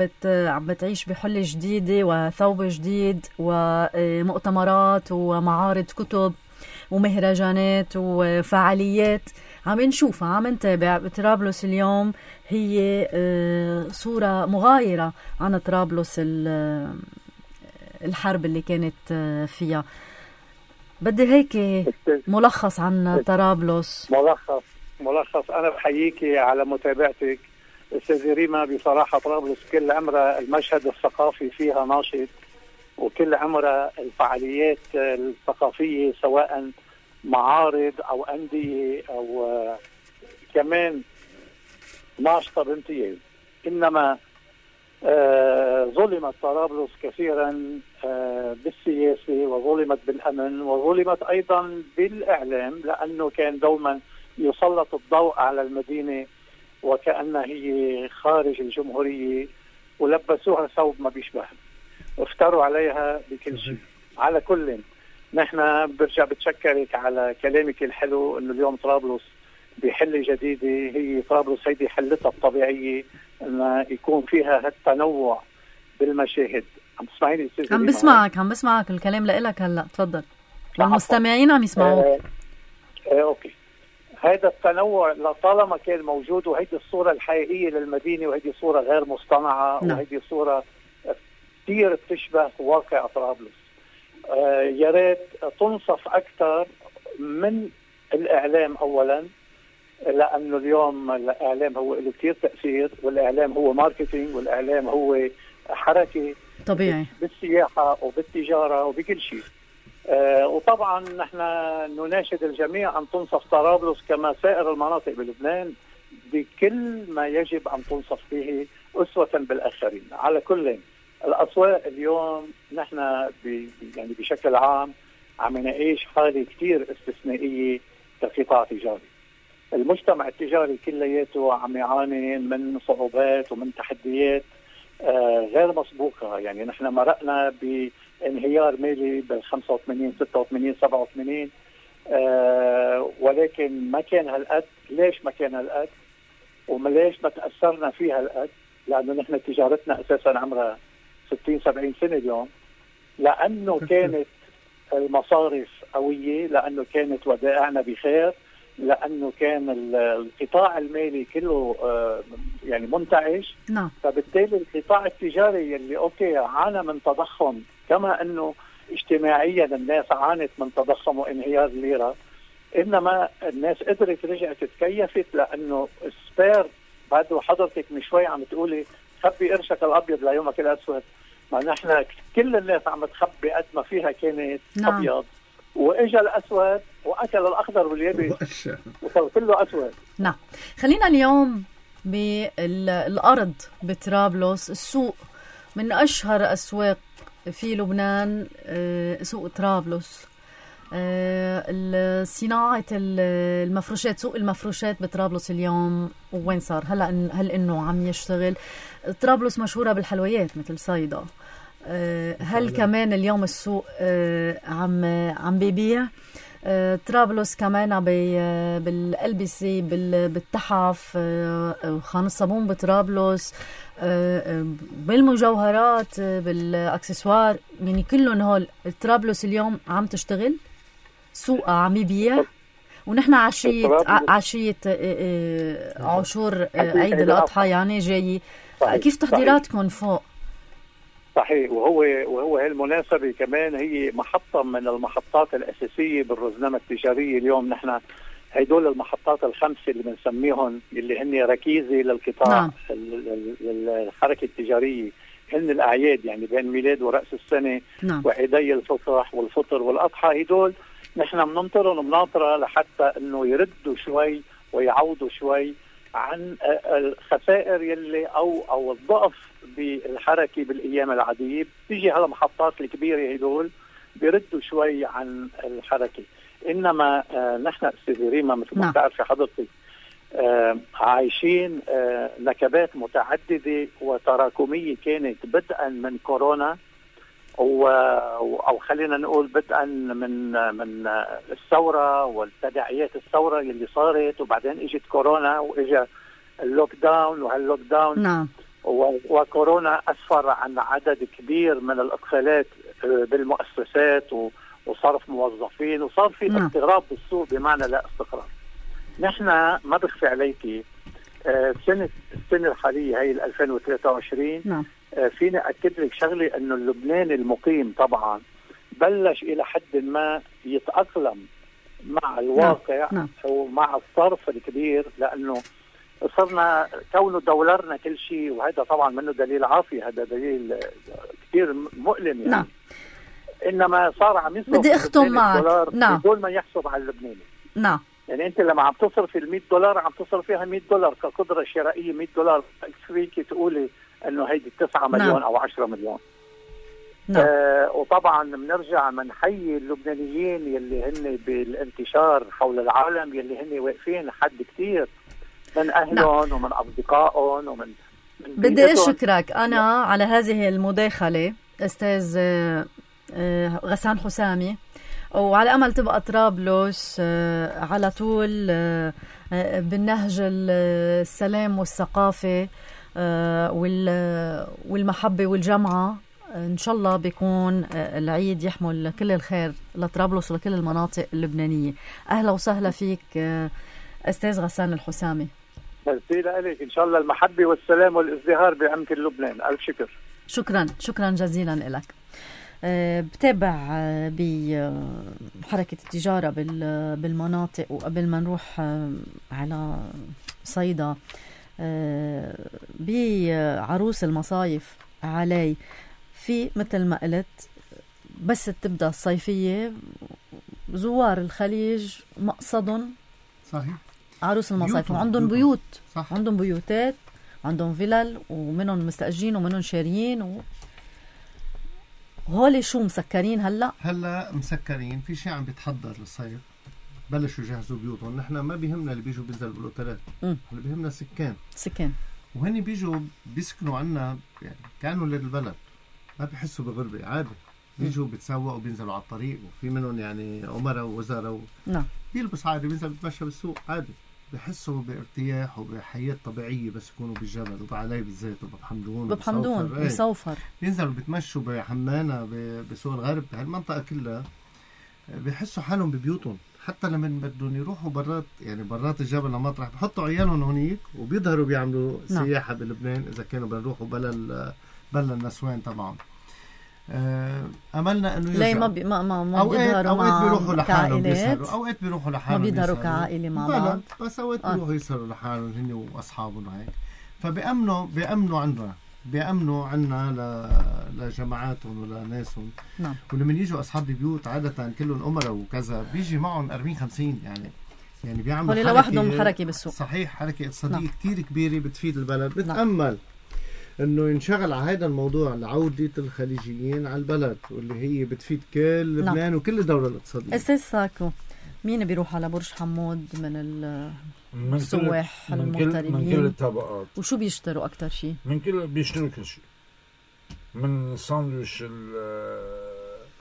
بتعيش بحلة جديدة وثوب جديد ومؤتمرات ومعارض كتب ومهرجانات وفعاليات عم نشوفها، عم نتابع. طرابلس اليوم هي صورة مغايرة عن طرابلس الحرب اللي كانت فيها. بدي هيك ملخص عن طرابلس. ملخص. أنا بحييكي على متابعتك أستاذ ريما. بصراحة طرابلس كل عمرها المشهد الثقافي فيها ناشط، وكل عمرها الفعاليات الثقافية سواء معارض أو أندية أو كمان ناشطة بامتياز. إنما ظلمت طرابلس كثيرا بالسياسة، وظلمت بالأمن، وظلمت أيضا بالإعلام، لأنه كان دوما يسلط الضوء على المدينة وكأنها هي خارج الجمهورية، ولبسوها ثوب ما بيشبه، وافتروا عليها بكل شيء. على كل نحن برجع بتشكرك على كلامك الحلو انه اليوم طرابلس بحلة جديدة. هي طرابلس هيدي حلتها الطبيعية ان يكون فيها هالتنوع بالمشاهد. عم تسمعيني استاذ؟ عم بسمعك الكلام لإلك هلا، تفضل. والمستمعين عم يسمعوك. اوكي. هذا التنوع لطالما كان موجود، وهيدي الصورة الحقيقية للمدينة، وهيدي صورة غير مصطنعة. نعم. وهيدي صورة كثير بتشبه واقع طرابلس. يا ريت تنصف أكثر من الإعلام أولا، لأنه اليوم الإعلام هو له كثير تأثير، والإعلام هو ماركتينج، والإعلام هو حركة طبيعي بالسياحة وبالتجارة وبكل شيء. وطبعا نحن نناشد الجميع أن تنصف طرابلس كما سائر المناطق بلبنان بكل ما يجب أن تنصف به أسوة بالآخرين. على كل الأسواق اليوم نحن يعني بشكل عام عم نعيش حالة كتير استثنائية كقطاع تجاري. المجتمع التجاري كلياته عم يعاني من صعوبات ومن تحديات غير مسبوقة. يعني نحن مرقنا بانهيار مالي بال 85 86 87 ولكن ما كان هالقد. ليش ما كان هالقد؟ وليش ما تأثرنا فيها هالقد؟ لأنه نحن تجارتنا أساسا عمرها 60 70 سنة اليوم، لأنه كانت المصارف قوية، لأنه كانت ودائعنا بخير، لأنه كان القطاع المالي كله يعني منتعش. نعم. فبالتالي القطاع التجاري اللي أوكي عانى من تضخم، كما أنه اجتماعيا الناس عانت من تضخم وانهيار الليرة، إنما الناس قدرت رجعت تتكيفت، لأنه السبير بعد حضرتك من شوي عم تقولي خبي قرشك الابيض ليومك الاسود. ما نحن كل الناس عم تخبي قد ما فيها كانت ابيض، واجا الاسود واكل الاخضر واليابس وصار كله اسود. نعم. خلينا اليوم بالارض بطرابلس، السوق من اشهر اسواق في لبنان سوق طرابلس. صناعة المفروشات، سوق المفروشات بطرابلس اليوم وين صار؟ هل انه عم يشتغل؟ طرابلس مشهورة بالحلويات مثل صيدا، هل كمان اليوم السوق عم بيبيع؟ طرابلس كمان بالألبسة، بالتحف، خان الصابون بطرابلس، بالمجوهرات، بالاكسسوار، يعني كلهم هول طرابلس اليوم عم تشتغل، سوق عم يبيع. ونحن عشية عاشور عيد الأضحى يعني جاي. كيف تحضيراتكم فوق؟ صحيح. وهو هالمناسبة كمان هي محطة من المحطات الأساسية بالرزنامة التجارية. اليوم نحن هيدول المحطات الخمسة اللي بنسميهم اللي هن ركيزة للقطاع. نعم. الحركة التجارية، هن الأعياد يعني بين ميلاد ورأس السنة. نعم. وعيدي الفصح والفطر والأضحى، هيدول نحن بننطرهم بناطرة لحتى انه يردوا شوي ويعوضوا شوي عن الخسائر يلي او الضعف بالحركة بالايام العادية. بتيجي على المحطات الكبيرة هدول بيردوا شوي عن الحركة. انما نحن استاذ ريما مثل ما بتعرفي حضرتك عايشين نكبات متعددة وتراكمية كانت بدءا من كورونا، او خلينا نقول بدءا من الثوره والتداعيات الثوره اللي صارت، وبعدين اجت كورونا واجا اللوك داون، وهاللوك داون نعم. وكورونا اسفر عن عدد كبير من الاقفالات بالمؤسسات وصرف موظفين، وصار في اضطراب بالسوق بمعنى لا استقرار. نحن ما بخفي عليكي السنه الحاليه هي 2023 نعم. فيني أكد لك شغلة أنه اللبناني المقيم طبعا بلش إلى حد ما يتأقلم مع الواقع. نعم. ومع الصرف الكبير، لأنه صرنا كونه دولارنا كل شيء، وهذا طبعا منه دليل عافية، هذا دليل كثير مؤلم يعني. نعم. إنما صار عم يصرف بدي أختم معك. نعم. بدون ما يحسب على اللبناني. نعم. يعني انت لما عم تصرف $100 عم تصرف فيها $100 كقدرة شرائية. $100 فيك تقولي انه هيدي 9 مليون. نعم. او 10 مليون. نعم. وطبعا بنرجع منحيي اللبنانيين يلي هن بالانتشار حول العالم، يلي هن واقفين حد كتير من اهلهم. نعم. ومن اصدقائهم ومن بدي اشكرك انا على هذه المداخلة استاذ غسان حسامي، وعلى أمل تبقى طرابلس على طول بالنهج السلام والثقافة والمحبة والجمعة. إن شاء الله بيكون العيد يحمل كل الخير لطرابلس ولكل المناطق اللبنانية. أهلا وسهلا فيك أستاذ غسان الحسامي. ميرسي لك. إن شاء الله المحبة والسلام والازدهار بأمكن لبنان. ألف شكر. شكرا جزيلا لك. بتابع بحركة التجارة بالمناطق. وقبل ما نروح على صيدا بعروس المصايف علي، في مثل ما قلت بس تبدأ الصيفية زوار الخليج مقصدهم صحيح عروس المصايف، وعندهم بيوت. صح. عندهم بيوتات وعندهم فيلل، ومنهم مستأجرين ومنهم شاريين هولي شو مسكرين هلا مسكرين. في شيء عم بيتحضر للصيف، بلشوا يجهزوا بيوتهم. نحن ما بيهمنا اللي بيجوا بينزلوا بالاوتيلات، اللي بيهمنا سكان. وهني بيجوا بيسكنوا عنا يعني كانوا للبلد، ما بيحسوا بغربة عادي. بيجوا بيتسوقوا بينزلوا على الطريق، وفي منهم يعني عمراء ووزراء نعم. بيلبس عادي، بينزل بيتمشى بالسوق عادي، بيحسوا بارتياح وبحياة طبيعية. بس يكونوا بالجبل وبعلي بالزيت وبحمدون بصوفر بينزلوا بيتمشوا بحمانة بسوق الغرب، هالمنطقة كلها بيحسوا حالهم ببيوتهم. حتى لما بدهم يروحوا برات الجبل لمطرح، بحطوا عيالهم هونيك وبيظهروا بيعملوا سياحة بلبنان إذا كانوا بيروحوا بلا النسوان طبعا. املنا انه ليه ما اوقات بيروحوا لحالهم بيسهروا، اوقات بيروحوا لحالهم ما بيظهروا كعائله مع بعض، بس اوقات بيروحوا يسهروا لحالهم هن واصحابهم وهيك. فبيأمنوا عندنا بيأمنوا عنا لجماعاتهم ولناسهم. نعم. ولما يجوا أصحاب البيوت عادة كلهم أمراء وكذا بيجي معهم 40-50 يعني بيعملوا هولي لوحدهم حركة بالسوق. صحيح، حركة اقتصادية نعم. كتير كبيرة بتفيد البلد. نعم. بتأمل انه ينشغل على هذا الموضوع لعودة الخليجيين على البلد، واللي هي بتفيد كل لبنان. نعم. وكل الدولة الاقتصادية. أستاذ ساكو، مين بيروح على برج حمود من السواح المغتربين؟ من كل الطبقات. وشو بيشتروا أكتر شيء؟ بيشتروا كل شيء، من ساندويش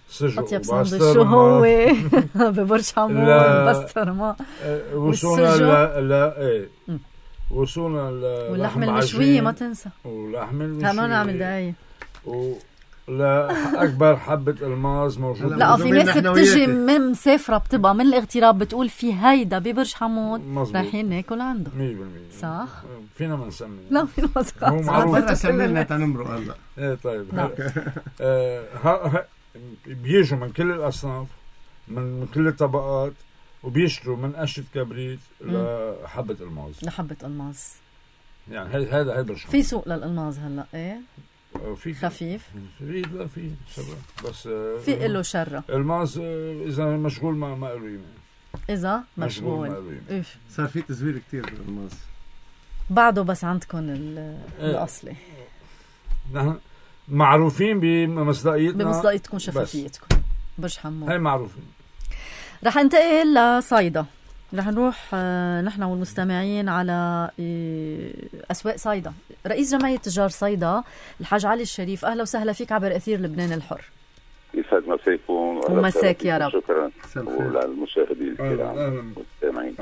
السجق أطيب ساندويش شو هو ببرج حمود؟ بسطرمة وصونا واللحمة المشوية ما تنسى. واللحمة المشوية ما نعمل دعاية. لا أكبر حبة الماس موجودة. لا في ناس بتجي من مسافرة بتبقى من الاغتراب بتقول في هيدا ببرج حمود رايحين ناكل عنده. 100% صح؟ فينا ما نسمي. لا فينا ما نسمي. هو معروف. بدنا سمينا تنمرق هلا. ايه طيب. بيجوا من كل الأصناف، من كل الطبقات، وبيشتروا من قشة كبريت لحبة الماس. لحبة الماس. يعني هذا برج حمود. في سوق للألماس هلا ايه؟ في خفيف. لا في شرة بس في له شرة. الماس إذا مشغول ما له قيمة. إذا مشغول صار في تزوير كتير بالماس بعده، بس عندكم الأصلي. نحن معروفين بمصداقيتكم شفافيتكم. برج حمود هاي معروفين. رح انتقل لصيدا. رح نروح نحن والمستمعين على أسواق صيدا. رئيس جمعية تجار صيدا الحاج علي الشريف، أهلا وسهلا فيك عبر أثير لبنان الحر. يسعد مساكم ومساك يا رب. شكرا وللمشاهدين الكرام والمستمعين.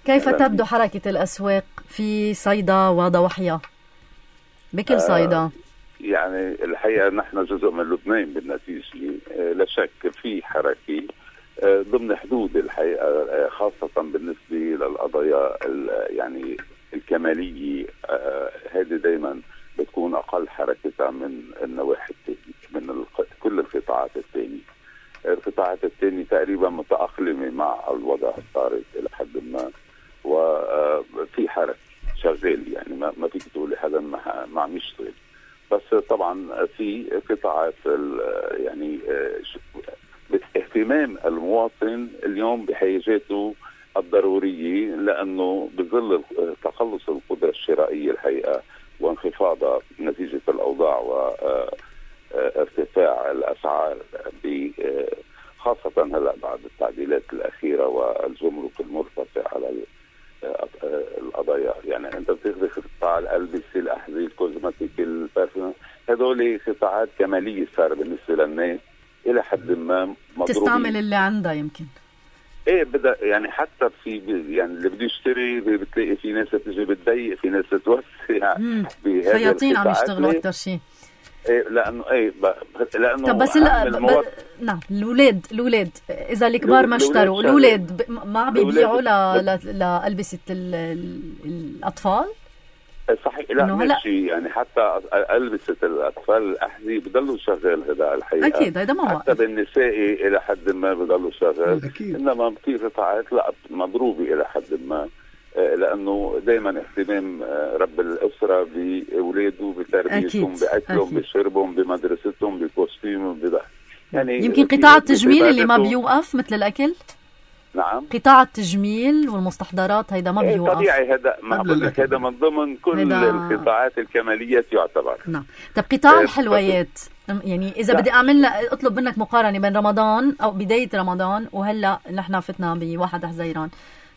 كيف تبدو حركة الأسواق في صيدا وضواحيها بكل صيدا؟ يعني الحقيقة نحن جزء من لبنان بالنتيجة، لا شك في حركة ضمن حدود الحقيقة، خاصة بالنسبة للقضايا يعني الكمالية. هذه دايما بتكون أقل حركتها من النواحي الثانية، من كل القطاعات الثانية. القطاعات الثانية تقريبا متأقلمة مع الوضع الطارئ إلى حد ما، وفي حركة شغال، يعني ما فيك تقولي حدا ما عم يشتغل. بس طبعا في قطاعات يعني اهتمام المواطن اليوم بحاجاته الضرورية، لأنه بظل تقلص القدرة الشرائية الحقيقة وانخفاضها نتيجة الأوضاع وارتفاع الأسعار، خاصة هلا بعد التعديلات الأخيرة والجمرك المرتفع على القضايا. يعني أنت بتاخذ قطاع الألبسة، الأحذية، الكوزماتيك، البارفيوم، هذول قطاعات كمالية صار بالنسبة للناس إلى حد ما مضروبين. تستعمل اللي عندها يمكن. ايه بدأ يعني حتى في يعني اللي بده يشتري بتلاقي في ناس بتجي بتضيق، في ناس بتوسع. خياطين عم يشتغلوا أكتر شيء. ايه لأنه طب بس نعم الأولاد إذا الكبار ما اشتروا، الأولاد ما بيبيعوا لألبسة الأطفال. صحيح. لا ماشي، يعني حتى ألبسة الأطفال الأحذية بضلوا شغال هذا الحقيقة. أكيد هذا ما حتى بالنسائي إلى حد ما بضلوا شغال. أكيد. إنما في قطاعات لا مضروبة إلى حد ما، لأنه دائما اهتمام رب الأسرة بأولاده، بتربيتهم، بأكلهم، بشربهم، بمدرستهم، بكوستيمهم، يعني يمكن قطاع التجميل اللي ما بيوقف مثل الأكل. نعم. قطاع التجميل والمستحضرات هيدا ما بيوقف. طبيعي هذا هذا من ضمن كل القطاعات الكمالية يعتبر. نعم. طب قطاع الحلويات، يعني إذا بدي أطلب منك مقارنة بين رمضان أو بداية رمضان وهلا نحن فتنا بواحد حزيران،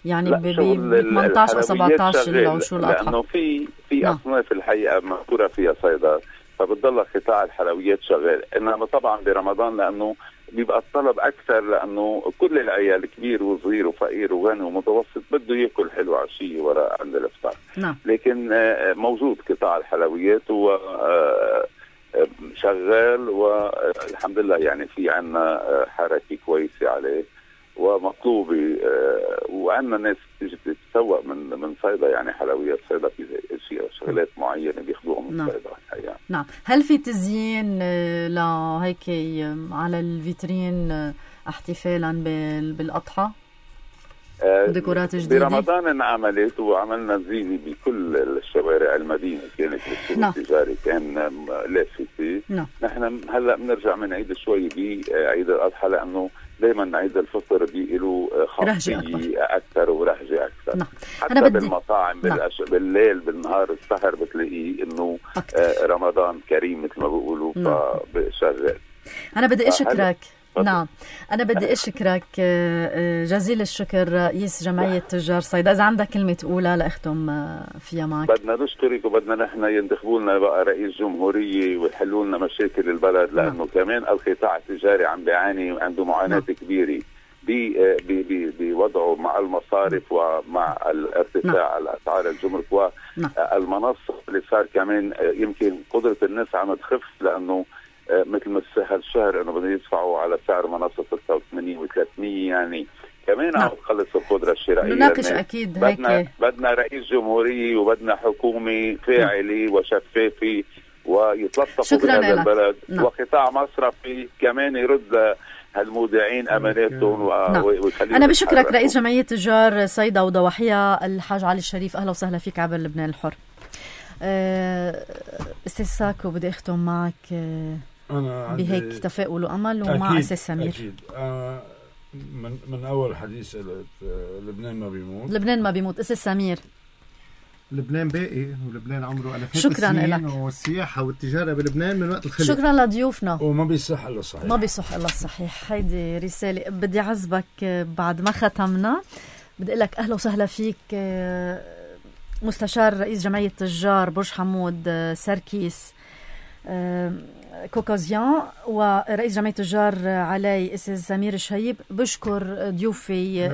يعني ب 18 و 17 العشور الأضحى، لأنه في أصناف الحقيقة مذكورة فيها صيدا، فبتضل قطاع الحلويات شغال. إنما طبعا برمضان لأنه بيبقى الطلب أكثر، لأنه كل العيال كبير وصغير وفقير وغني ومتوسط بده يأكل حلو عشية وراء عند الإفطار. نعم. لكن موجود قطاع الحلويات هو شغال، والحمد لله يعني في عنا حركة كويسة عليه ومطلوبة، وعندنا ناس تيجي تتسوق من صيدا، يعني حلويات صيدا في شغلات معينة بياخذوها من صيدا الحقيقة. نعم. هل في تزيين لهيك على الفيترين احتفالا بالأضحى؟ وديكورات جديدة. برمضان انعملت وعملنا زينة بكل الشوارع المدينة، كانت بالسوق التجاري كان لافتة. نحن هلا بنرجع بنعيد شوي بعيد الأضحى، لأنه دايما عيد الفطر بيقولوا خاصية أكثر ورهجة أكثر. حتى بالمطاعم بالليل بالنهار السهر بتلاقيه إنه رمضان كريم مثل ما بيقولوا، فبشغل. أنا بدي أشكرك. نعم، أنا بدي أشكرك جزيل الشكر رئيس جمعية تجار صيدا. إذا عندك كلمة تقولها لأختم فيها معك. بدنا نشكرك وبدنا نحن ينتخبوا لنا بقى رئيس جمهورية ويحلوا لنا مشاكل البلد، لأنه كمان القطاع التجاري عم بيعاني، عنده معاناة كبيرة بوضعه مع المصارف ومع الارتفاع الأسعار الجمرك والمنصة اللي صار كمان يمكن قدرة الناس عم تخف، لأنه مثل ما هالشهر انه بدهم يدفعوا على سعر منصه 86 و300، يعني كمان عم تخلص القدره الشرائيه. نناقش اكيد هيك. بدنا رئيس جمهوريه وبدنا حكومه فاعله وشفافه ويتلطفوا بهذا البلد، وقطاع مصرفي كمان يرد هالمودعين اماناتهم ويخليهم. انا بشكرك رئيس جمعيه تجار صيدا وضواحيها الحاج علي الشريف. اهلا وسهلا فيك عبر لبنان الحر. استاذ ساكو بدي اختم معك بهيك تفاؤل وامل، ومع استاذ سمير. اكيد من اول حديث لبنان ما بيموت. لبنان ما بيموت. استاذ سمير، لبنان باقي، ولبنان عمره ألفات شكرا السنين، لك. والسياحة والتجارة بلبنان من وقت الخلق. شكرا لضيوفنا. وما بيصح الا الصحيح. ما بيصح الا الصحيح. هيدي رسالة. بدي عزبك بعد ما ختمنا، بدي اقول لك اهلا وسهلا فيك مستشار رئيس جمعية تجار برج حمود سركيس كوكازيان، ورئيس جمعية تجار علي استاذ سمير الشهيب. بشكر ضيوفي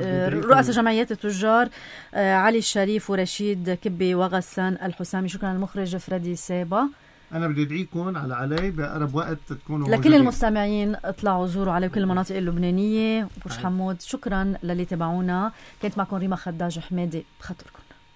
رؤساء جمعيات التجار علي الشريف ورشيد كبي وغسان الحسامي. شكرا للمخرج فريدي سابا. أنا بدي أدعيكم على علي بأقرب وقت تكونوا لكل موجودين. المستمعين اطلعوا زوروا علي كل المناطق اللبنانية برج حمود. شكرا للي تابعونا. كانت معكم ريما خداج حمادي. بخاطركم.